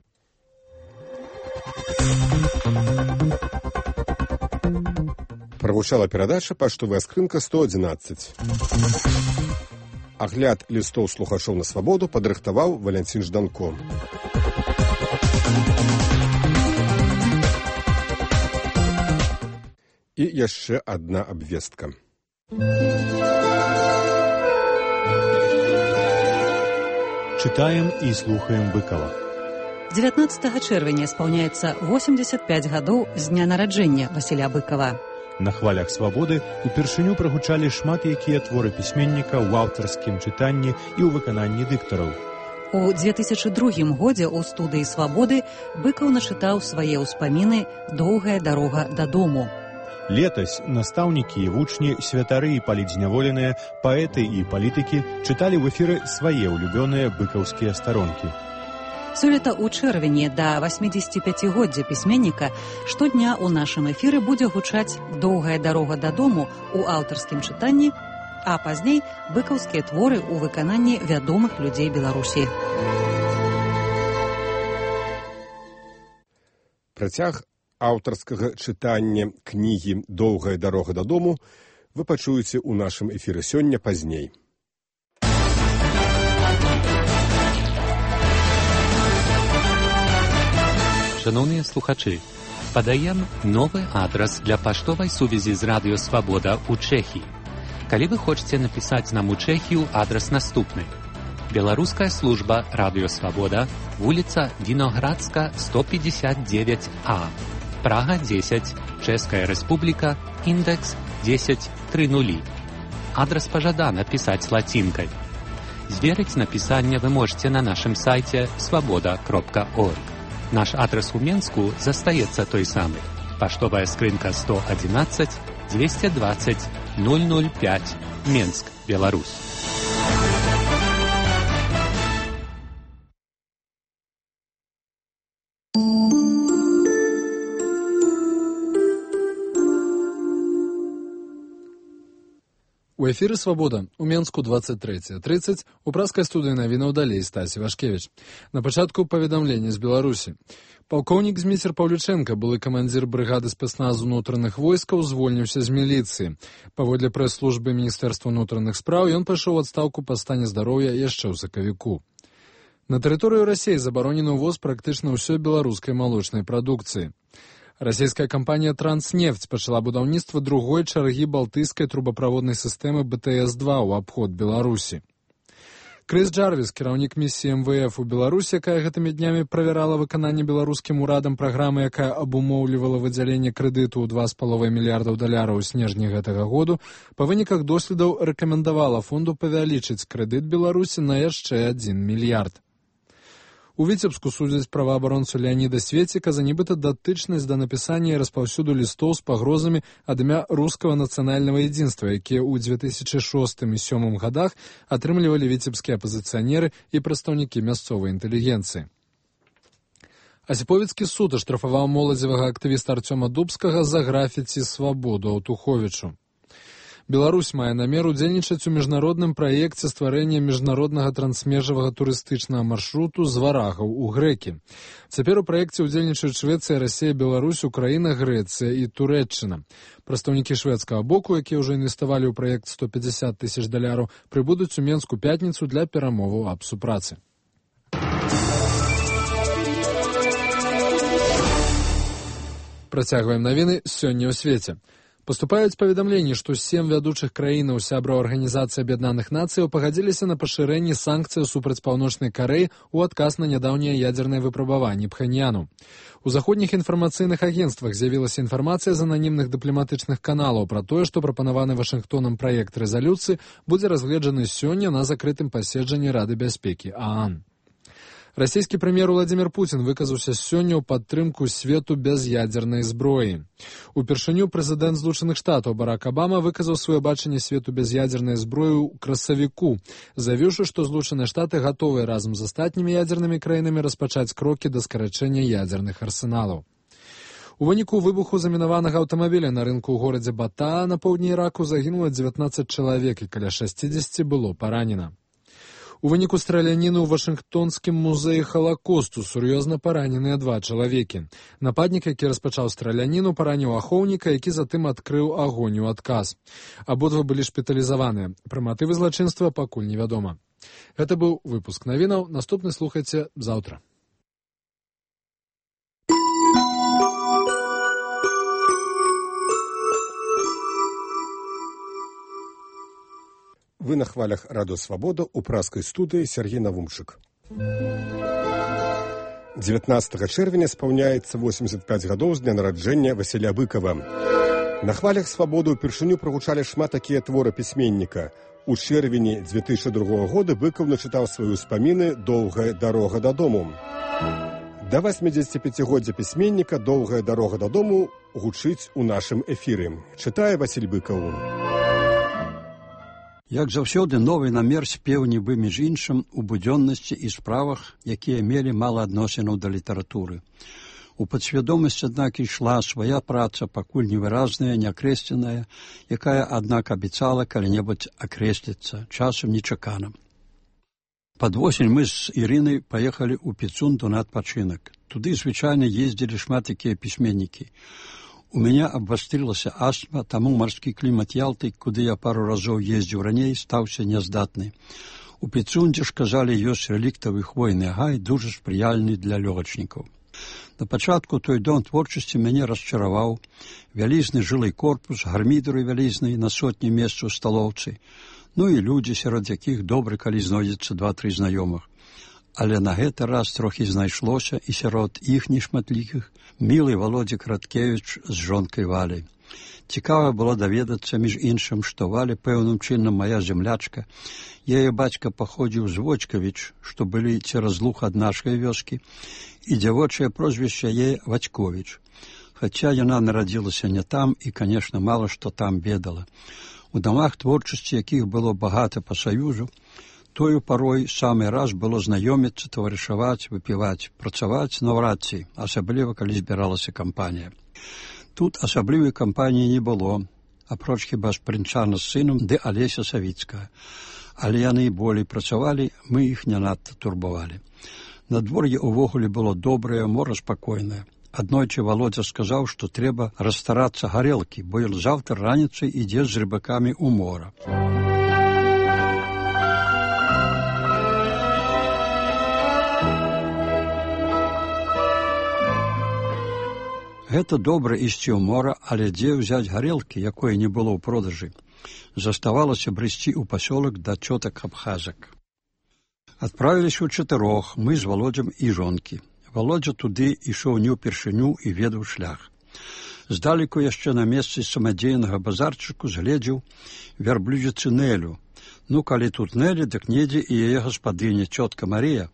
Прагучала перадача «Паштовая скрынка сто адзінаццаць». Агляд лістоў слухачоў на Свабоду падрыхтаваў Валянцін Жданко. І яшчэ адна абвестка. Читаем и слухаем Быкова. дзевятнаццатага чэрвеня спаўняецца восемьдесят пять гадоў з дня нараджэння Васіля Быкова. На хвалях Свабоды упершыню прагучалі шмат якія творы пісьменніка ў аўтарскім чытанні і ў выкананні дыктараў. У дзве тысячы другім годзе ў студыі Свабоды Быкаў начытаў свае ўспаміны «Доўгая дарога дадому». Летась настаўнікі і вучні, святары і палітзняволеныя, паэты і палітыкі чыталі ў эфіры свае ўлюбёныя быкаўскія старонкі. Сёлета ў чэрвені да васьмідзесяціпяцігоддзя пісьменніка штодня ў нашым эфіры будзе гучаць «Доўгая дарога дадому» у аўтарскім чытанні, а пазней быкаўскія творы ў выкананні вядомых людзей Беларусі. Працяг аўтарскага чытання кнігі «Доўгая дарога дадому» вы пачуеце ў нашым эфіры сёння пазней. Шановныя слухачы, падаем новы адрас для паштовай сувязі з Радыё Свабода ў Чэхіі. Калі вы хочаце напісаць нам у Чэхію, адрас наступны. Беларуская служба Радыё Свабода, вуліца Віноградска, сто пятьдесят девять А, Прага десять, Чэшская Рэспубліка, індекс десять тридцать. Адрас пажадана пісаць лацінкай. Зверыць напісанне вы можете на нашым сайце свабода кропка орг. Наш адрес у Менску застаецца той самы. Паштовая скрынка сто одиннадцать двести двадцать ноль ноль пять, Менск, Беларусь. У эфіры «Свабода» у Менску двадцать третье тридцать у праскай студыі навінаў далей Стасі Вашкевіч. На пачатку паведамлення з Беларусі. Палкоўнік Зміцер Паўлічэнка, былы камандзір брыгады спецназу ўнутраных войскаў, звольніўся з міліцыі. Паводле прэс-службы Міністэрства ўнутраных спраў, ён пайшоў у адстаўку па стане здароўя яшчэ ў сакавіку. На тэрыторыю Расіі забаронены ўвоз практычна ўсёй беларускай малочнай прадукцыі. Расійская кампанія «Транснефть» пачала будаўніцтва другой чаргі балтыйскай трубаправоднай сістэмы бэ тэ эс два ў абход Беларусі. Крыс Джарвіс, кіраўнік місіі эм вэ эф у Беларусі, якая гэтымі днямі правярала выкананне беларускім урадам праграмы, якая абумоўлівала выдзяленне крэдыту ў два з паловай мільярдаў даляраў у снежні гэтага году, па выніках доследаў рэкамендавала фонду павялічыць крэдыт Беларусі на яшчэ адзін мільярд. У Віцебску судзяць праваабаронцу Леаніда Светціка за нібыта датычнасць да напісання і распаўсюду лістоў з пагрозамі ад імя рускага нацыянальнага едзінства, якія ў дзве тысячы шостым і две тысячи сёмым гадах атрымлівалі віцебскія апазіцыянеры і прадстаўнікі мясцовай інтэлігенцыі. Асіповіцкі суд аштрафаваў моладзевага актывіста Арцёма Дубскага за графіці «Свабоду» Аўтуховічу. Беларусь мае намер удзельнічаць у міжнародным праекце стварэння міжнароднага трансмежавага турыстычнага маршруту з варагаў у Грэкі. Цяпер у праекце удзельнічаюць Швецыя, Расія, Беларусь, Украіна, Грэцыя і Турэччына. Прадстаўнікі шведскага боку, якія ўжо інвеставалі ў праект сто пятьдесят тысяч даляраў, прыбудуць у Менску пятніцу для перамоваў аб супрацы. Працягваем навіны сёння ў свеце. Паступаюць паведамленні, што сем вядучых краінаў сябраў Арганізацыі Аб'яднаных Нацыяў пагадзіліся на пашырэнне санкцый супраць Паўночнай Карэі ў адказ на нядаўнія ядзерныя выпрабаванні Пхэньяну. У заходніх інфармацыйных агенцтвах з'явілася інфармацыя з ананімных дыпламатычных каналаў пра тое, што прапанаваны Вашынгтонам праект рэзалюцыі будзе разгледжаны сёння на закрытым паседжанні Рады бяспекі ААН. Расійскі прэм'ер Владзімір Пуцін выказаўся сёння ў падтрымку свету без ядзернай зброі. Упершыню прэзідэнт Злучаных Штатаў Барак Абама выказаў сваё бачанне свету без ядзернай зброі ў красавіку, заявіўшы, што Злучаныя Штаты гатовыя разам з астатнімі ядзернымі краінамі распачаць крокі да скарачэння ядзерных арсеналаў. У выніку выбуху замінаванага аўтамабіля на рынку ў горадзе Батаа на поўдні Іраку загінула дзевятнаццаць чалавек і каля шасцідзесяці было паранена. У выніку страляніны ў Вашынгтонскім музеі Халакосту сур'ёзна параненыя два чалавекі. Нападнік, які распачаў страляніну, параніў ахоўніка, які затым адкрыў агонь у адказ. Абодва былі шпіталізаваныя. Пра матывы злачынства пакуль невядома. Гэта быў выпуск навінаў. Наступны слухайце заўтра. Вы на хвалях радыё «Свабода» у праскай студыі Сергей Навумчык. дзевятнаццатага чэрвеня спаўняецца восемьдесят пять гадоў з дня нараджэння Васіля Быкава. На хвалях «Свабоды» ўпершыню прагучалі шмат такія творы пісьменніка. У чэрвені дзве тысячы другога года Быкаў начытаў свае ўспаміны «Доўгая дарога дадому». Да восьмідзесяціпяцігоддзя пісьменніка «Доўгая дарога дадому» гучыць у нашым эфіры. Чытае Васіль Быкаў. Як заўсёды, новы намер спеў нібы між іншым у будзённасці і справах, якія мелі мала адносінаў да літаратуры. У падсвядомасці, аднак, ішла свая праца, пакуль невыразная, неакрэсленая, якая, аднак, абяцала калі-небудзь акрэсліцца, часам нечакана. Пад восень мы з Ірынай паехалі ў Піцунду на адпачынак. Туды звычайна ездзілі шмат якія пісьменнікі. У мяне абвастрылася астма, таму марскі клімат Ялты, куды я пару разоў ездзіў раней, стаўся няздатны. У Піцундзе ж, казалі, ёсць рэліктавы хвойны гай, дужа спрыяльны для лёгачнікаў. На пачатку той дом творчасці мяне расчараваў. Вялізны жылы корпус, гармідары вялізныя на сотні месцаў у сталоўцы. Ну і людзі, сярод якіх добра, калі знойдзецца два-тры знаёмых. Але на гэты раз трохі знайшлося і сярод іх нешматлікіх мілы Володя Краткевіч з жонкай Валяй. Цікава было даведацца, між іншым, што Валя пэўным чынам мая зямлячка. Яе бацька паходзіў з Вочкавіч, што былі цераз луг ад нашай вёскі, і дзявочае прозвішча яе Вацьковіч. хаця яна нарадзілася не там і, канешне, мала што там ведала. У дамах творчасці, якіх было багата па саюзу, тою парой самы раз было знаёміцца, таварышаваць, выпіваць, працаваць наўрад ці, асабліва, калі збіралася кампанія. Тут асаблівай кампаніі не было, апроч хіба Спрынчана з сынам ды Алеся Савіцкая. Але яны і болей працавалі, мы іх не надта турбавалі. Надвор'е ўвогуле было добрае, мора спакойнае. Аднойчы Володя сказаў, што трэба расстарацца гарэлкі, бо ён заўтра раніцай ідзе з рыбакамі ў мора. Гэта добра ісці ў мора, але дзе ўзяць гарэлкі, якой не было ў продажы? Заставалася брысці ў пасёлак да цётак абхазак. Адправіліся ў чатырох, мы з Володзем і жонкі. Володзя туды ішоў не ўпершыню і ведаў шлях. Здалеку яшчэ на месцы самадзейнага базарчыку згледзеў вярблюдзіцы Нелю. Ну, калі тут Нелі, дык недзе і яе гаспадыня, цётка Марія.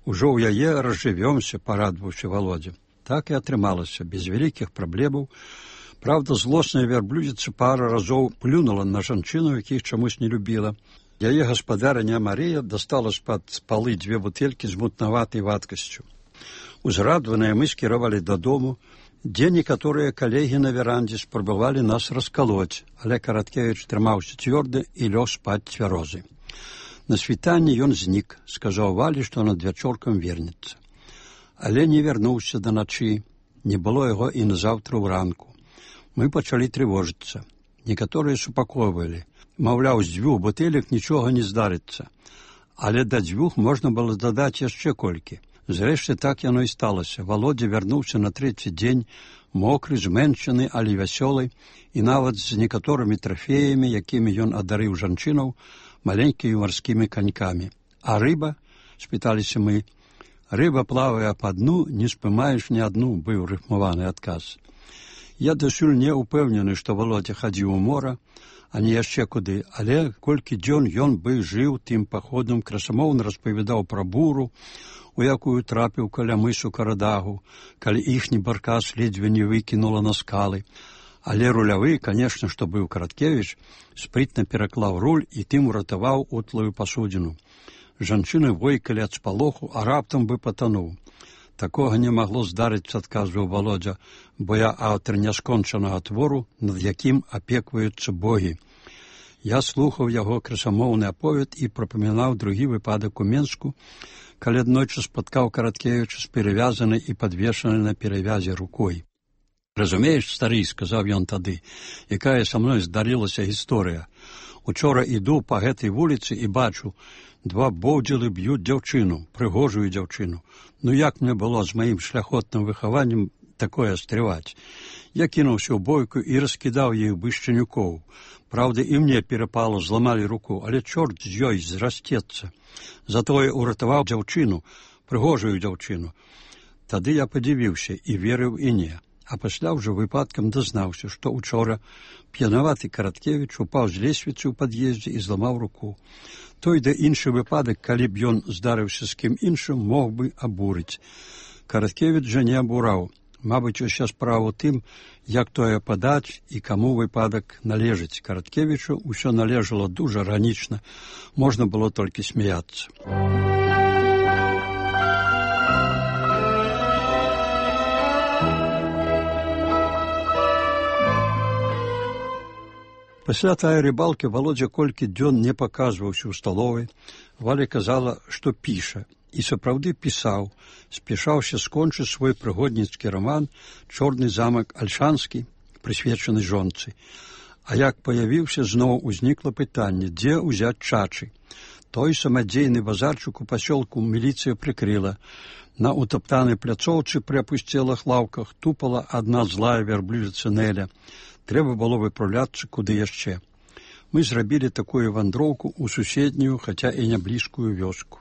Ужо ў яе разжывёмся, парадваўся Володзя. Так і атрымалася, без вялікіх праблемаў. Правда, злосная вярблюдзіца пара разоў плюнула на жанчыну, якіх чамусь не любіла. Яе гаспадарыня Марія дастала з-пад палы дзве бутэлькі з мутнаватай вадкасцю. Узрадваныя мы скіравалі дадому, дзе некаторыя калегі на верандзе спрабавалі нас раскалоць, але Караткевіч трымаўся цвёрда і лёг спаць цвярозы. На світанні ён знік, сказаў Валі, што надвячоркам вернецца. Але не вярнуўся да начы, не было яго і назаўтра ўранку. Мы пачалі трывожыцца. Некаторыя супакойвалі. Маўляў, з дзвюх бутэлек нічога не здарыцца. Але да дзвюх можна было дадаць яшчэ колькі. Зрэшты, так яно і сталася. Володя вярнуўся на трэці дзень, мокры, зменшаны, але вясёлы, і нават з некаторымі трафеямі, якімі ён адарыў жанчынаў, маленькімі марскімі канькамі. А рыба? Спыталіся мы. Рыба плавае па дну, не спымаеш ні адну, быў рыфмаваны адказ. Я дасюль не ўпэўнены, што Володя хадзіў у мора, а не яшчэ куды, але колькі дзён ён бы жыў тым паходам, красамоўна распавядаў пра буру, у якую трапіў каля мысу Карадагу, калі іхні баркас ледзьве не выкінула на скалы. Але рулявы, канешне, што быў Караткевіч, спрытна пераклаў руль і тым уратаваў утлую пасудзіну. Жанчыны войкалі ад спалоху, а раптам бы патануў. Такога не магло здарыцца, адказваў Володя, бо я аўтар няскончанага твору, над якім апекваюцца богі. Я слухаў яго красамоўны аповед і прапамінаў другі выпадак у Менску, калі аднойчы спаткаў Караткевіча з перавязанай і падвешанай на перавязе рукой. Разумееш, стары, сказаў ён тады, якая са мной здарылася гісторыя. Учора іду па гэтай вуліцы і бачу, два боўдзілы б'юць дзяўчыну, прыгожую дзяўчыну. Ну як мне было з маім шляхотным выхаваннем такое стрываць? Я кінуўся ў бойку і раскідаў іх бышчанюкоў. Праўда, і мне перапала, зламалі руку, але чорт з ёй зрасцецца. Затое уратаваў дзяўчыну, прыгожую дзяўчыну. Тады я падзівіўся і верыў і не. А пасля ўжо выпадкам дазнаўся, што учора п'янаваты Караткевіч упаў з лесвіцы ў пад'ездзе і зламаў руку. Той да іншы выпадак, калі б ён здарыўся з кім іншым, мог бы абурыць. Караткевіч жа не абураў. Мабыць, уся справа ў тым, як тое падаць і каму выпадак належыць. Караткевічу ўсё належало дужа ранічна, можна было толькі смяяцца. Пасля тая рыбалкі Володя колькі дзён не паказваўся ў сталовай. Валя казала, што піша. І сапраўды пісаў, спяшаўся скончыць свой прыгодніцкі раман «Чорны замак Альшанскі», прысвечаны жонцы. А як паявіўся, зноў узнікла пытанне, дзе ўзяць чачы. Той самадзейны базарчык у пасёлку міліцыя прыкрыла. На утаптанай пляцоўцы пры апусцелых лаўках тупала адна злая вярблюдзіца Неля. Трэба было выпраўляцца куды яшчэ. Мы зрабілі такую вандроўку ў суседнюю, хаця і не блізкую вёску.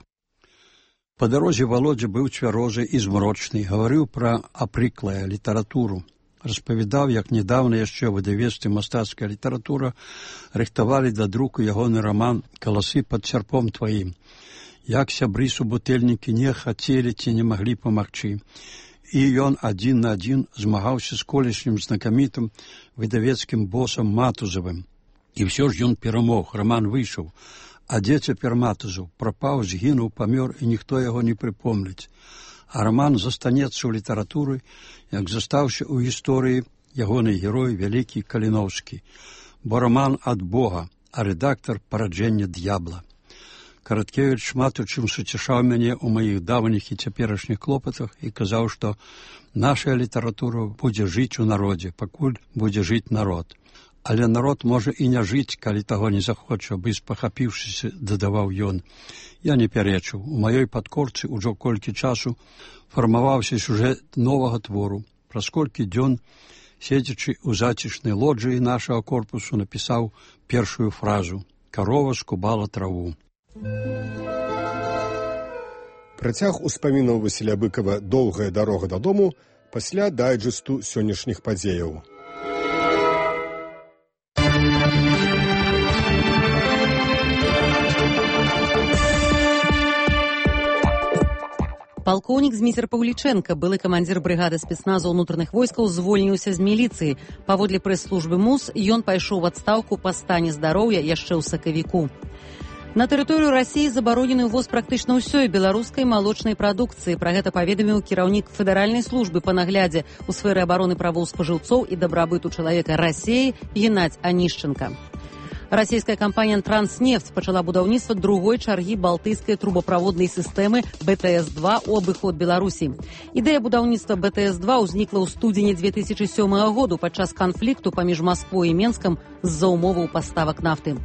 Па дарозе Володя быў цвярозы і змрочны, гаварыў пра апрыклая літаратуру. Распавядаў, як недавно яшчэ ў выдавецтве «Мастацкая літаратура» рыхтавалі да друку ягоны раман «Каласы пад сярпом тваім». Як сябры субутэльнікі не хацелі ці не маглі памагчы. і ён адзін на адзін змагаўся з колішнім знакамітым выдавецкім босам Матузавым. І ўсё ж ён перамог, раман выйшаў. А дзе цяпер Матузаў? Прапаў, згінуў, памёр, і ніхто яго не прыпомніць. А раман застанецца ў літаратуры, як застаўся ў гісторыі ягоны герой вялікі Каліноўскі. Бо раман ад Бога, а рэдактар параджэння д'ябла. Караткевіч шмат у чым суцішаў мяне ў маіх давніх і цяперашніх клопатах і казаў, што наша літаратура будзе жыць у народзе, пакуль будзе жыць народ. Але народ можа і не жыць, калі таго не захоча, бы спахапіўшыся, дадаваў ён. Я не пярэчыў. У маёй падкорцы ўжо колькі часу фармаваўся сюжэт новага твору. Праз колькі дзён, седзячы ў зацішнай лоджыі нашага корпусу, напісаў першую фразу «Карова скубала траву». Працяг успамінаў Васіля Быкава «Доўгая дарога дадому» пасля дайджэсту сённяшніх падзеяў. Палкоўнік Зміцер Паўлічэнка, былы камандзір брыгады спецназу ўнутраных войскаў, звольніўся з міліцыі. Паводле прэс-службы МУС, ён пайшоў у адстаўку па стане здароўя яшчэ ў сакавіку. На тэрыторыю Расіі забаронены ўвоз практычна ўсёй беларускай малочнай прадукцыі. Пра гэта паведаміў кіраўнік федэральнай службы па наглядзе ў сферы абароны правоў спажыўцоў і дабрабыту чалавека Расіі Геннадзь Анішченка. Расійская кампанія «Транснефть» пачала будаўніцтва другой чаргі балтыйскай трубаправоднай сістэмы бэ тэ эс два ў абыход Беларусі. Ідэя будаўніцтва бэ тэ эс два ўзнікла ў студзені дзве тысячы сёмага году падчас канфлікту паміж Масквой і Менскам з-за умоваў паставак нафты.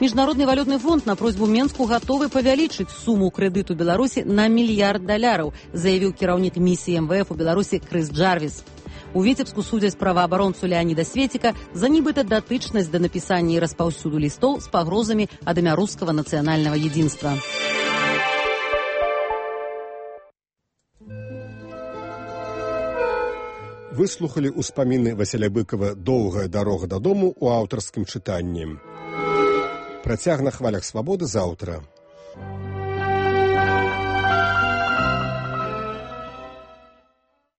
Міжнародны валютны фонд на просьбу Менску гатовы павялічыць суму крэдыту Беларусі на мільярд даляраў, заявіў кіраўнік місіі эм вэ эф у Беларусі Крыс Джарвіс. У Віцебску судзяць праваабаронцу Леаніда Светіка за нібыта датычнасць да напісання і распаўсюду лістоў з пагрозамі ад імя рускага нацыянальнага единства. Выслухалі ўспаміны Васіля Быкава «Доўгая дарога дадому» у аўтарскім чытанні. Працяг на хвалях свабоды заўтра.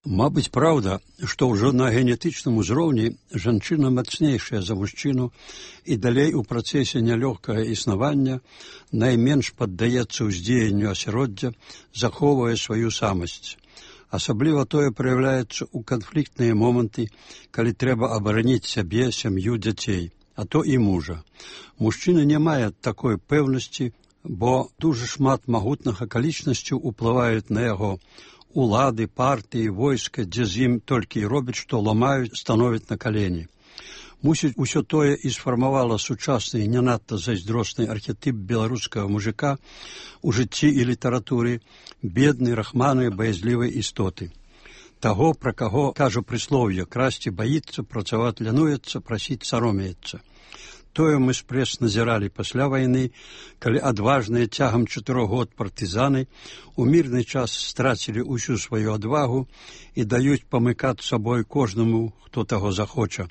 Мабыць, праўда, што ўжо на генетычным узроўні жанчына мацнейшая за мужчыну і далей у працэсе нялёгкага існавання найменш паддаецца ўздзеянню асяроддзя, захоўвае сваю самасць. Асабліва тое праяўляецца ў канфліктныя моманты, калі трэба абараніць сябе, сям'ю, дзяцей, а то і мужа. Мужчына не мае такой пэўнасці, бо дужа шмат магутных акалічнасцяў уплываюць на яго. Улады, партыі, войска, дзе з ім толькі і робяць, што ламаюць, становяць на калені. Мусіць, усё тое і сфармавала сучасны і не надта зайздросны архетып беларускага мужика у жыцці і літаратуры, беднай, рахманай, баязлівай істоты. Таго, пра каго кажа прыслоўе, красці баіцца, працаваць лянуецца, прасіць саромеецца. Тое мы спрэс назіралі пасля вайны, калі адважныя цягам чатырох год партызаны у мірны час страцілі ўсю сваю адвагу і даюць памыкаць сабой кожнаму, хто таго захоча,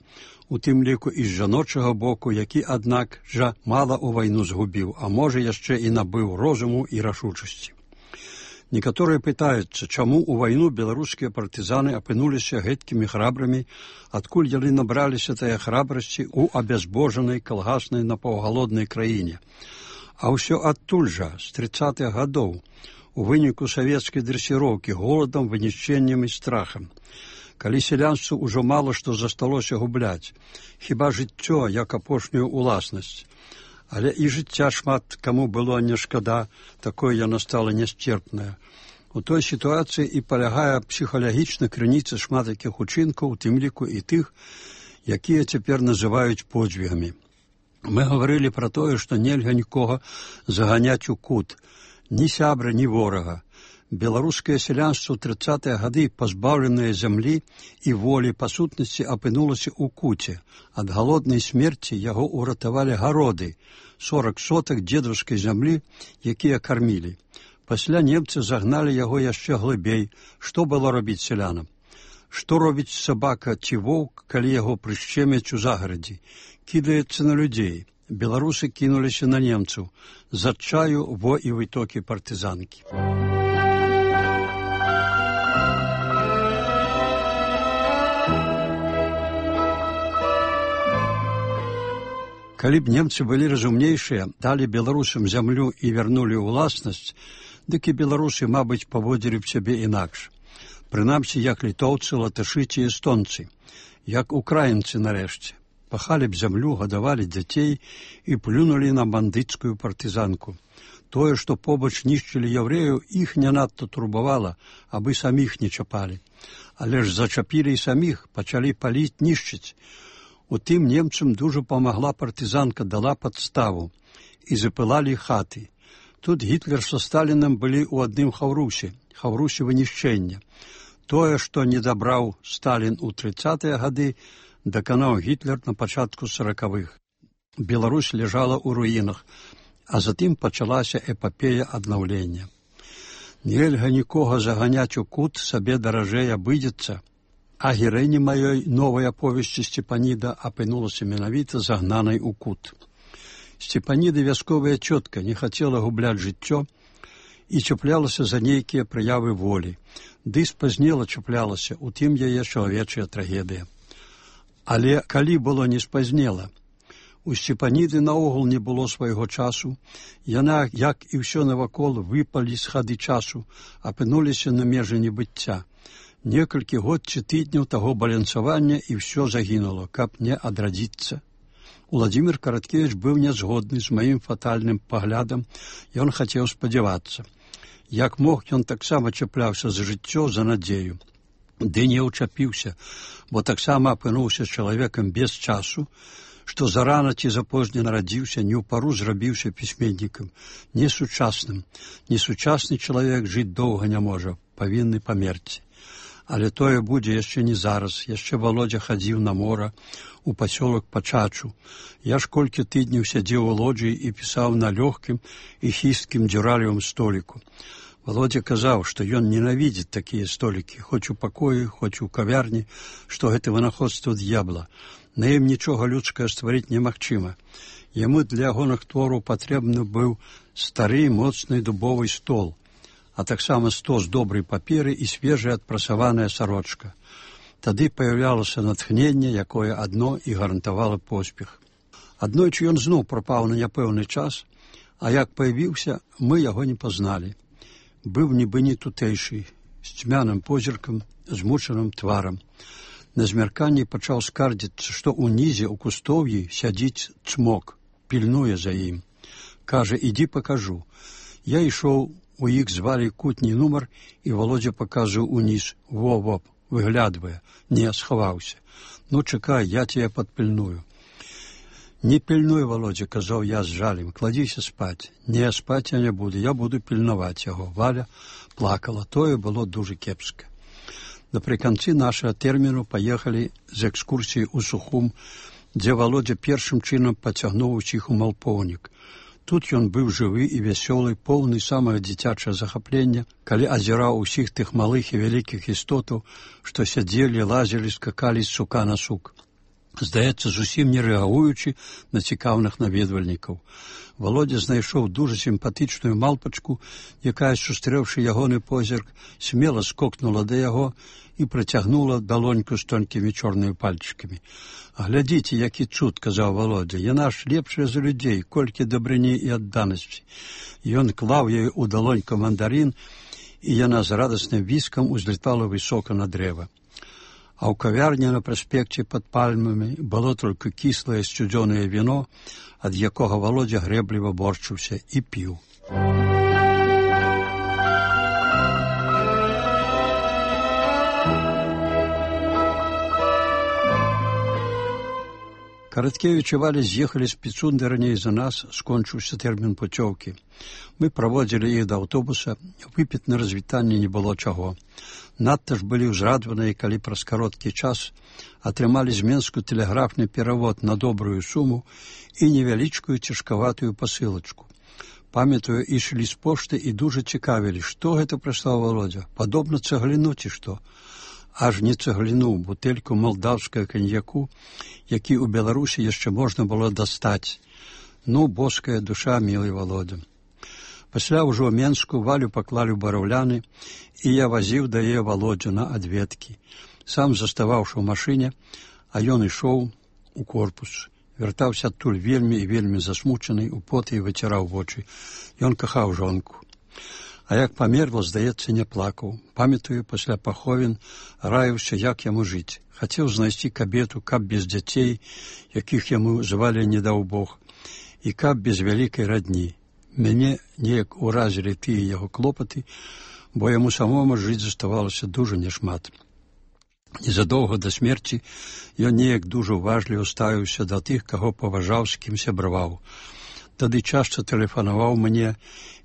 у тым ліку і з жаночага боку, які, аднак, жа мала ў вайну згубіў, а можа яшчэ і набыў розуму і рашучасці. Некаторыя пытаюцца, чаму ў вайну беларускія партызаны апынуліся гэткімі храбрамі, адкуль яны набраліся тая храбрасці ў абязбожанай калгаснай напаўгалоднай краіне. А ўсё адтуль жа, з трыццатых гадоў, у выніку савецкай дрэсіроўкі голадам, вынішчэннем і страхам. Калі сялянству ўжо мала што засталося губляць, хіба жыццё, як апошнюю уласнасць. Але і жыцця шмат каму было не шкада, такое яно стала нясцерпнае. У той сітуацыі і палягае псіхалагічна крыніца шмат якіх учынкаў, у тым ліку і тых, якія цяпер называюць подзвігамі. Мы гаварылі пра тое, што нельга нікога заганяць у кут, ні сябра, ні ворага. Беларускае сялянство ў трыццатыя гады, пазбаўленае зямлі і волі па сутнасці, апынулася ў куце. Ад галоднай смерці яго ўратавалі гароды, сорак сотак дзедаўскай зямлі, якія кармілі. Пасля немцы загналі яго яшчэ глыбей. Што было рабіць сялянам? Што робіць сабака ці воўк, калі яго прышчэмяць у загарадзі? Кідаецца на людзей. Беларусы кінуліся на немцаў. З адчаю во і вытокі партызанкі. Калі б немцы былі разумнейшыя, далі беларусам зямлю і вярнулі ўласнасць, дык і беларусы, мабыць, паводзілі б сябе інакш. Прынамсі, як літоўцы, латышы ці эстонцы, як украінцы нарэшце. Пахалі б зямлю, гадавалі дзяцей і плюнулі на бандыцкую партызанку. Тое, што побач нішчылі яўрэяў, іх не надта турбавала, абы саміх не чапалі. Але ж зачапілі і саміх, пачалі паліць, нішчыць. У тым немцам дужа памагла партызанка, дала падставу, і запылалі хаты. Тут Гітлер са Сталінам былі ў адным хаўрусе, хаўрусе вынішчэння. Тое, што не дабраў Сталін у трыццатыя гады, даканаў Гітлер на пачатку саракавых. Беларусь ляжала ў руінах, а затым пачалася эпапея аднаўлення. Нельга нікога заганяць у кут, сабе даражэй абыдзецца. А гераіня маёй новай аповесці Сцепаніда апынулася менавіта загнанай у кут. Сцепаніда вясковая цётка не хацела губляць жыццё і чаплялася за нейкія праявы волі. Ды спазнела чаплялася, у тым яе чалавечая трагедыя. Але калі было не спазнела, у Сцепаніды наогул не было свайго часу, яна, як і ўсё навакол, выпалі з хады часу, апынуліся на межы небыцця. Некалькі год ці тыдняў таго балянсавання і ўсё загінула, каб не адрадзіцца. Уладзімір Караткевіч быў нязгодны з маім фатальным паглядам, ён хацеў спадзявацца. Як мог, ён таксама чапляўся за жыццё, за надзею. Ды не ўчапіўся, бо таксама апынуўся чалавекам без часу, што зарана ці запозне нарадзіўся, не ў пару зрабіўся пісьменнікам, несучасным. Несучасны чалавек жыць доўга не можа, павінны памерці. Але тое будзе яшчэ не зараз. Яшчэ Володя хадзіў на мора, у пасёлак Пачачу. Я ж колькі тыдняў сядзеў у лоджыі і пісаў на лёгкім і хісткім дзюралевым століку. Володя казаў, што ён ненавідзіць такія столікі, хоць у пакоі, хоць у кавярні, што гэта вынаходства д'ябла. На ім нічога людскае стварыць немагчыма. Яму для ягоных твораў патрэбны быў стары, моцны дубовы стол, а таксама стос добрай паперы і свежая адпрасаваная сарочка. Тады паяўлялася натхненне, якое адно і гарантавала поспех. Аднойчы ён зноў прапаў на няпэўны час, а як паявіўся, мы яго не пазналі. Быў нібы не тутэйшы, з цьмяным позіркам, змучаным тварам. На змярканні пачаў скардзіцца, што ўнізе ў кустоўі сядзіць цмок, пільнуе за ім. Кажа, ідзі пакажу. Я ішоў, у іх звалі кутні нумар, і Володя паказваў уніз. Во-воп, выглядвае. Не, схаваўся. Ну, чакай, я цябе падпільную. Не пільнуй, Володя, казаў я з жалем, кладзіся спаць. Не, спаць я не буду, я буду пільнаваць яго. Валя плакала, тое было дужа кепска. Напрыканцы нашага тэрміну паехалі з экскурсіі ў Сухум, дзе Володя першым чынам пацягнуў усіх у Малпоўнік. Тут ён быў жывы і вясёлы, поўны самага дзіцячага захаплення, калі азіраў усіх тых малых і вялікіх істотаў, што сядзелі, лазілі, скакалі з сука на сук. Здаецца, зусім не рэагуючы на цікаўных наведвальнікаў. Володя знайшоў дужа сімпатычную малпачку, якая, сустрэўшы ягоны позірк, смела скокнула да яго і працягнула далоньку з тонкімі чорнымі пальчыкамі. «Глядзіце, які цуд», – казаў Володя, – «яна ж лепшая за людзей, колькі дабрыні і адданасці». Ён клаў ёй у далоньку мандарин, і яна з радасным віскам узлетала высока на дрэва. А ў кавярні на праспекце пад пальмамі было толькі кіслае сцюдзёнае віно, ад якога Володя грэбліва борчыўся і піў. Караткевіч і Валя з'ехалі з Піцунды раней за нас, скончыўся тэрмін пуцёўкі. Мы праводзілі іх да аўтобуса, выпіць на развітанне не было чаго. Надта ж былі ўзрадваныя, калі праз кароткі час атрымалі з Менску тэлеграфны перавод на добрую суму і невялічкую цяжкаватую пасылачку. Памятаю, ішлі з пошты і дужа цікавілі, што гэта прыслаў Володя, падобна цагліну ці што. Аж не цагліну, бутэльку малдаўскага каньяку, які ў Беларусі яшчэ можна было дастаць. Ну, боская душа, мілы Володя. Пасля ўжо ў Менску Валю паклалі ў бараўляны, і я вазіў да яе Володю на адведкі. Сам заставаўшы ў машыне, а ён ішоў у корпус. Вяртаўся адтуль вельмі і вельмі засмучаны, у поты і выціраў вочы. Ён кахаў жонку. А як памерла, здаецца, не плакаў. Памятаю, пасля паховін раіўся, як яму жыць. Хацеў знайсці кабету, каб без дзяцей, якіх яму звалі не даў Бог, і каб без вялікай радні. Мяне неяк уразілі тыя яго клопаты, бо яму самому жыць заставалася дужа няшмат. Незадоўга да смерці ён неяк дужа уважліва ставіўся да тых, каго паважаў, з кім сябраваў. Тады часта тэлефанаваў мне,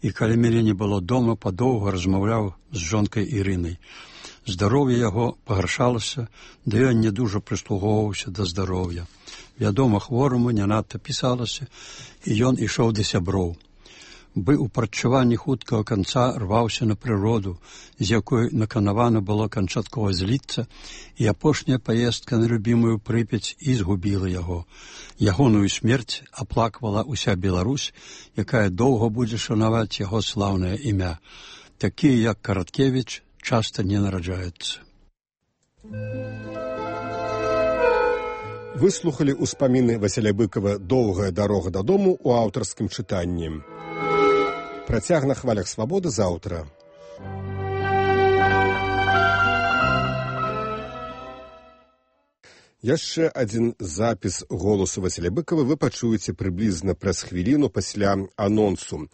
і калі мяне не было дома, падоўга размаўляў з жонкай Ірынай. Здароўе яго пагаршалася, да ён не дужа прыслугоўваўся да здароўя. Вядома, хвораму не надта пісалася, і ён ішоў да сяброў. Бы ў прадчуванні хуткага канца рваўся на прыроду, з якой наканавана было канчаткова зліцца, і апошняя паездка на любімую Прыпяць і згубіла яго. Ягоную смерць аплаквала ўся Беларусь, якая доўга будзе шанаваць яго слаўнае імя. Такія, як Караткевіч, часта не нараджаюцца. Выслухалі ўспаміны Васіля Быкава «Доўгая дарога дадому» у аўтарскім чытанні. Працяг на хвалях свабоды заўтра. Яшчэ адзін запіс голасу Васіля Быкава вы пачуеце прыблізна праз хвіліну пасля анонсу.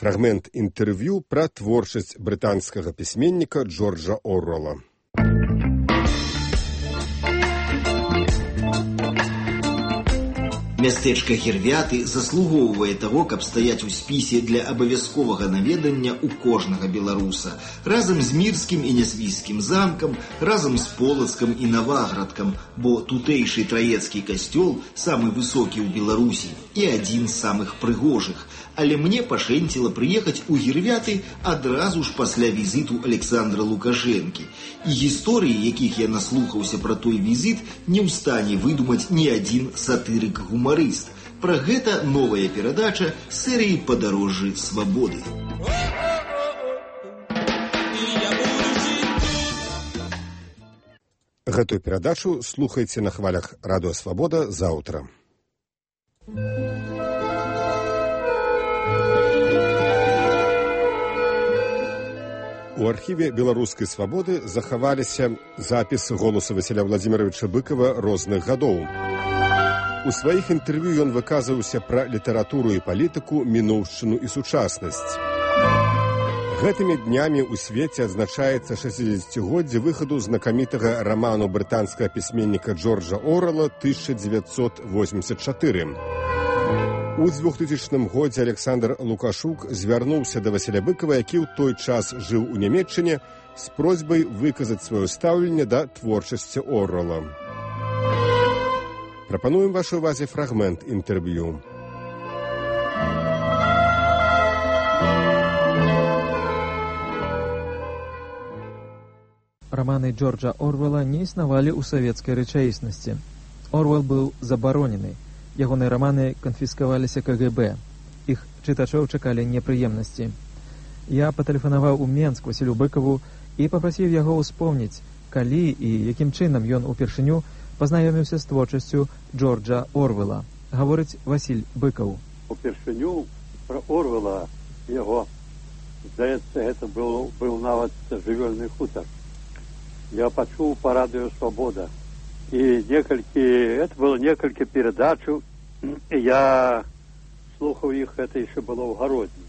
Фрагмент інтэрв'ю пра творчасць брытанскага пісьменніка Джорджа Оруэлла. Мястэчка Гірвяты заслугоўвае таго, каб стаяць у спісе для абавязковага наведання ў кожнага беларуса, разам з Мірскім і Нясвійскім замкам, разам з Полацкам і Наваградкам, бо тутэйшы траецкі касцёл самы высокі ў Беларусі і адзін з самых прыгожых. Але мне пашэнціла прыехаць у Гірвяты адразу ж пасля візіту Александра Лукашэнкі. І гісторыі, якіх я наслухаўся пра той візіт, не ў стане выдумаць ні адзін сатырык-гумарыст. Пра гэта новая перадача серыі «Падарожжы свабоды». Гэтую перадачу слухайце на хвалях радыё «Свабода» заўтра. У архіве беларускай свабоды захаваліся запісы голасу Васіля Владзіміровича Быкава розных гадоў. У сваіх інтэрв'ю ён выказваўся пра літаратуру і палітыку, мінуўшчыну і сучаснасць. Гэтымі днямі ў свеце адзначаецца шэсцідзесяцігоддзе выхаду знакамітага раману брытанскага пісьменніка Джорджа Оруэлла тысяча дзевяцьсот восемьдесят чатыры. У двухтысячным годзе Александр Лукашук звярнуўся да Васіля Быкава, які ў той час жыў у Нямецчыне, з просьбай выказаць сваё стаўленне да творчасці Оруэлла. Прапануем вашай увазе фрагмент інтэрв'ю. Романы Джорджа Оруэлла не існавалі ў савецкай рэчаіснасці. Оруэлл быў забаронены. Ягоныя раманы канфіскаваліся ка гэ бэ. Іх чытачоў чакалі непрыемнасці. Я патэлефанаваў у Менск Васілю Быкаву і папрасіў яго ўспомніць, калі і якім чынам ён упершыню пазнаёміўся з творчасцю Джорджа Оруэлла. Гаворыць Васіль Быкаў. Упершыню пра Оруэлла яго, здаецца, гэта быў, быў нават жывёльны хутар. Я пачуў па радыё «Свабода». И некалькі, это было некалькі передачаў, я слухаў іх, это еще было в Городне.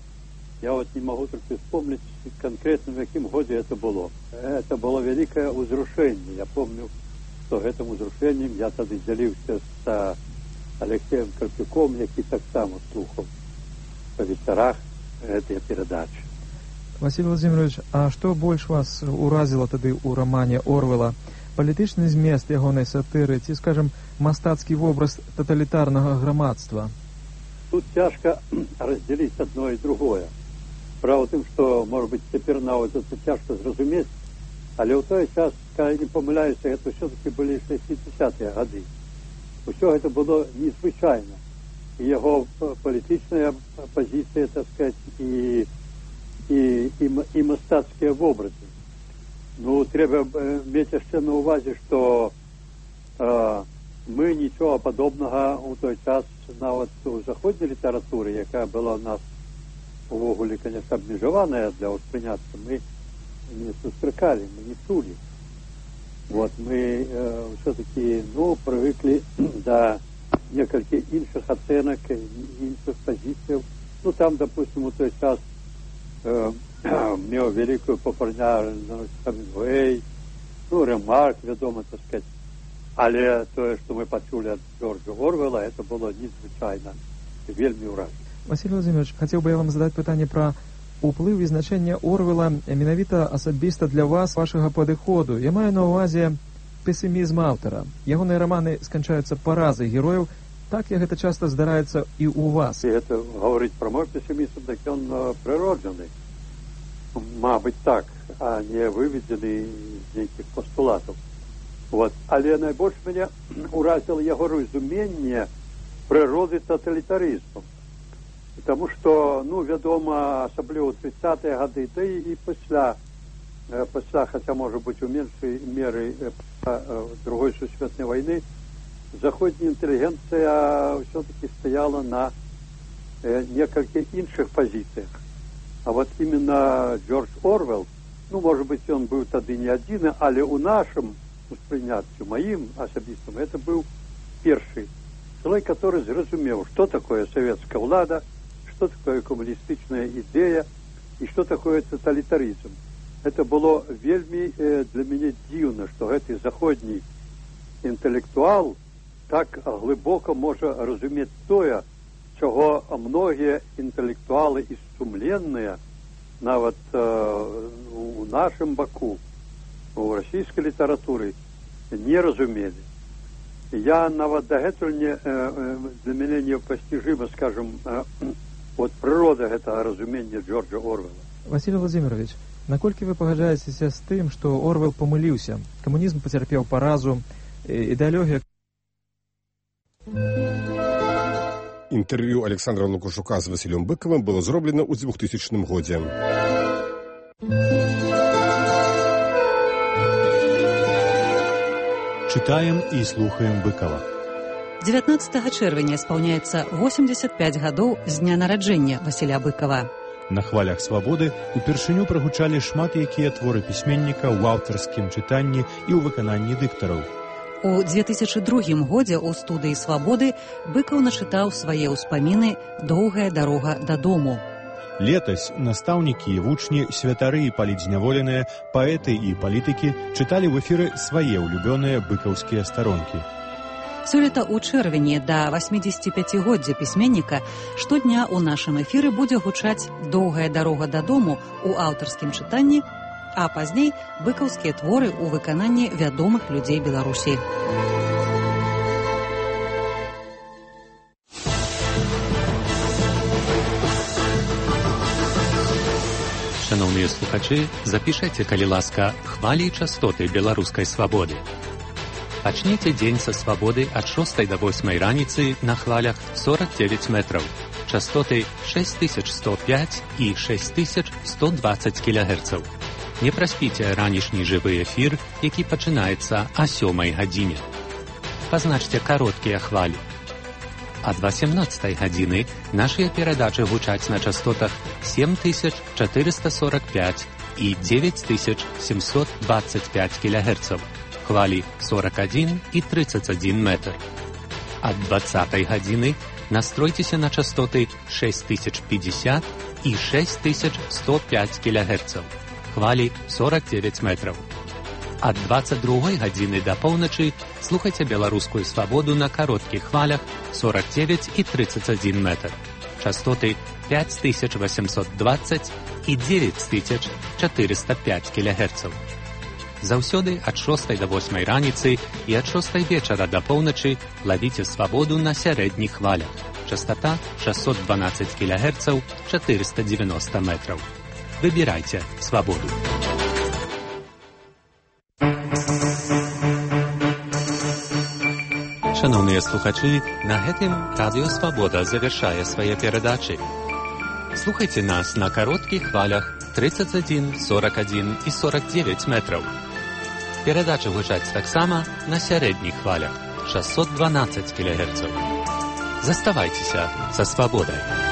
Я вот не могу только вспомнить конкретно, в каким году это было. Это было великое узрушение. Я помню, что этим узрушением я тогда делился с Алексеем Карпюком, який так само слухаў по вечерах этой передачи. Василий Владимирович, а что больше вас уразило тогда у романе Оруэлла? Палітычны змест ягонай сатыры ці, скажем, мастацкі вобраз таталітарнага грамадства? Тут цяжка раздзяліць одно і другое. Справа ў тым, што, можа быць, цяпер нават это цяжка зразумець, але ў той час, калі не памыляюся, это ўсё-таки былі шэсцідзесятыя гады. Усё гэта было незвычайна. І яго палітычная пазіцыя, так сказать, і, і, і, і мастацкія вобразы. Ну, трэба мець яшчэ на ўвазе, што э, мы нічого падобнага ў той час нават у заходняй літаратуры, якая была ў нас увогуле, конечно, абмежаваная для ўспрыняцца, мы не сустракалі, мы не чулі. Вот, мы э, все-таки, ну, привыкли до некалькіх іншых ацэнак, іншых пазіцыяў. Ну, там, допустим, у той час э, меў великую папулярнасць Хемінгуэй, ну, Ремарк, вядома, так сказать. Але тое, што мы пачулі ад Джорджа Орвела, это было незвычайна, вельмі ўражна. Василий Владимирович, хотел бы я вам задать пытанне про уплыв и значение Орвела менавіта асабіста для вас, вашага падыходу. Я маю на увазе пессимизм аўтара. Ягоныя романы сканчаюцца паразай герояў. Так як гэта часта здараецца і у вас. І гэта говорить про мой пессимизм, так ён прыроджаны. Мабыць так, а не выведзены з нейкіх пастулатаў. Вот. Але найбольш мяне уразіла яго разуменне прыроды тоталітарызму. Потому что, ну, вядома, асабліва ў тридцатыя гады, да і пасля, пасля, хаця, можа быць, у меншай меры другой сусветнай вайны, заходняя інтэлігенцыя все-таки стояла на некалькіх іншых пазіцыях. А вот именно Джордж Орвел, ну, может быть, он был тады не один, але у нашем успрыняццю, моим асабістым, это был першы человек, который зразумеў, что такое советская влада, что такое коммунистичная идея и что такое тоталитаризм. Это было вельми э, для меня дивно, что этот заходний интеллектуал так глибоко може разуметь тое, чого многие интеллектуалы и сумленные, нават э, у нашем боку, у российской литературы, не разумели. Я нават дагэтуль не, э, для меня непостижимо, скажем, э, от природа гэтага разумення Джорджа Орвела. Василий Владимирович, наколькі вы пагаджаецеся з тым, што Орвел памыліўся? Камунізм пацярпеў паразу, ідэалогія. Інтэрв'ю Александра Лукашука з Васілём Быкавым было зроблена ў двухтысячным годзе. Читаем и слухаем Быкова. дзевятнаццатага чэрвеня спаўняецца восемьдесят пять гадоў з дня нараджэння Васіля Быкова. На хвалях свабоды упершыню прагучалі шмат якія творы пісьменніка ў аўтарскім чытанні і ў выкананні дыктараў. У две тысячи другім годзе ў студыі «Свабоды» Быкаў начытаў свае ўспаміны «Доўгая дарога дадому». Летась настаўнікі і вучні, святары і палітзняволеныя, паэты і палітыкі чыталі ў эфіры свае ўлюбёныя быкаўскія старонкі. Сёлета ў чэрвені да восьмідзесяціпяцігоддзя пісьменніка штодня ў нашым эфіры будзе гучаць «Доўгая дарога дадому» у аўтарскім чытанні, а пазней быкаўскія творы ў выкананні вядомых людзей Беларусі. Шановныя слухачы, запішайце, калі ласка, хвалі і частоты беларускай свабоды. Пачніце дзень са свабоды ад шостай да восьмай раніцы на хвалях сорок девять метраў, частоты шесть тысяч сто пять і шесть тысяч сто двадцать кілогерцаў. Не праспіце ранішні жывы эфір, які пачынаецца о сёмай гадзіне. Пазначце кароткія хвалі. Ад восемнадцатай гадзіны нашыя перадачы гучаць на частотах семь тысяч четыреста сорок пять і девять тысяч семьсот двадцать пять кілогерцаў. Хвалі сорок один і тридцать один метр. Ад двадцатай гадзіны настройцеся на частоты шесть тысяч пятьдесят і шесть тысяч сто пять кілогерцаў. Хвалі сорок девять метров. Ад двадцать другой гадзіны да поўначы слухайце беларускую свабоду на кароткіх хвалях сорок девять і тридцать один метр. Частоты пять тысяч восемьсот двадцать і девять тысяч четыреста пять кілогерцаў. Заўсёды ад шостай да восьмай раніцы і ад шостай вечара да поўначы лавіце свабоду на сярэдніх хвалях. Частота шестьсот двенадцать кілогерцаў, четыреста девяносто метров. Выбирайте свободу. Шановныя слухачы, на гэтым радыё «Свабода» завяршае свае перадачы. Слухайце нас на кароткіх хвалях тридцать один, сорок один і сорок девять метров. Перадачы гучаць таксама на сярэдніх хвалях шестьсот двенадцать килогерцаў. Заставайцеся са свабодай.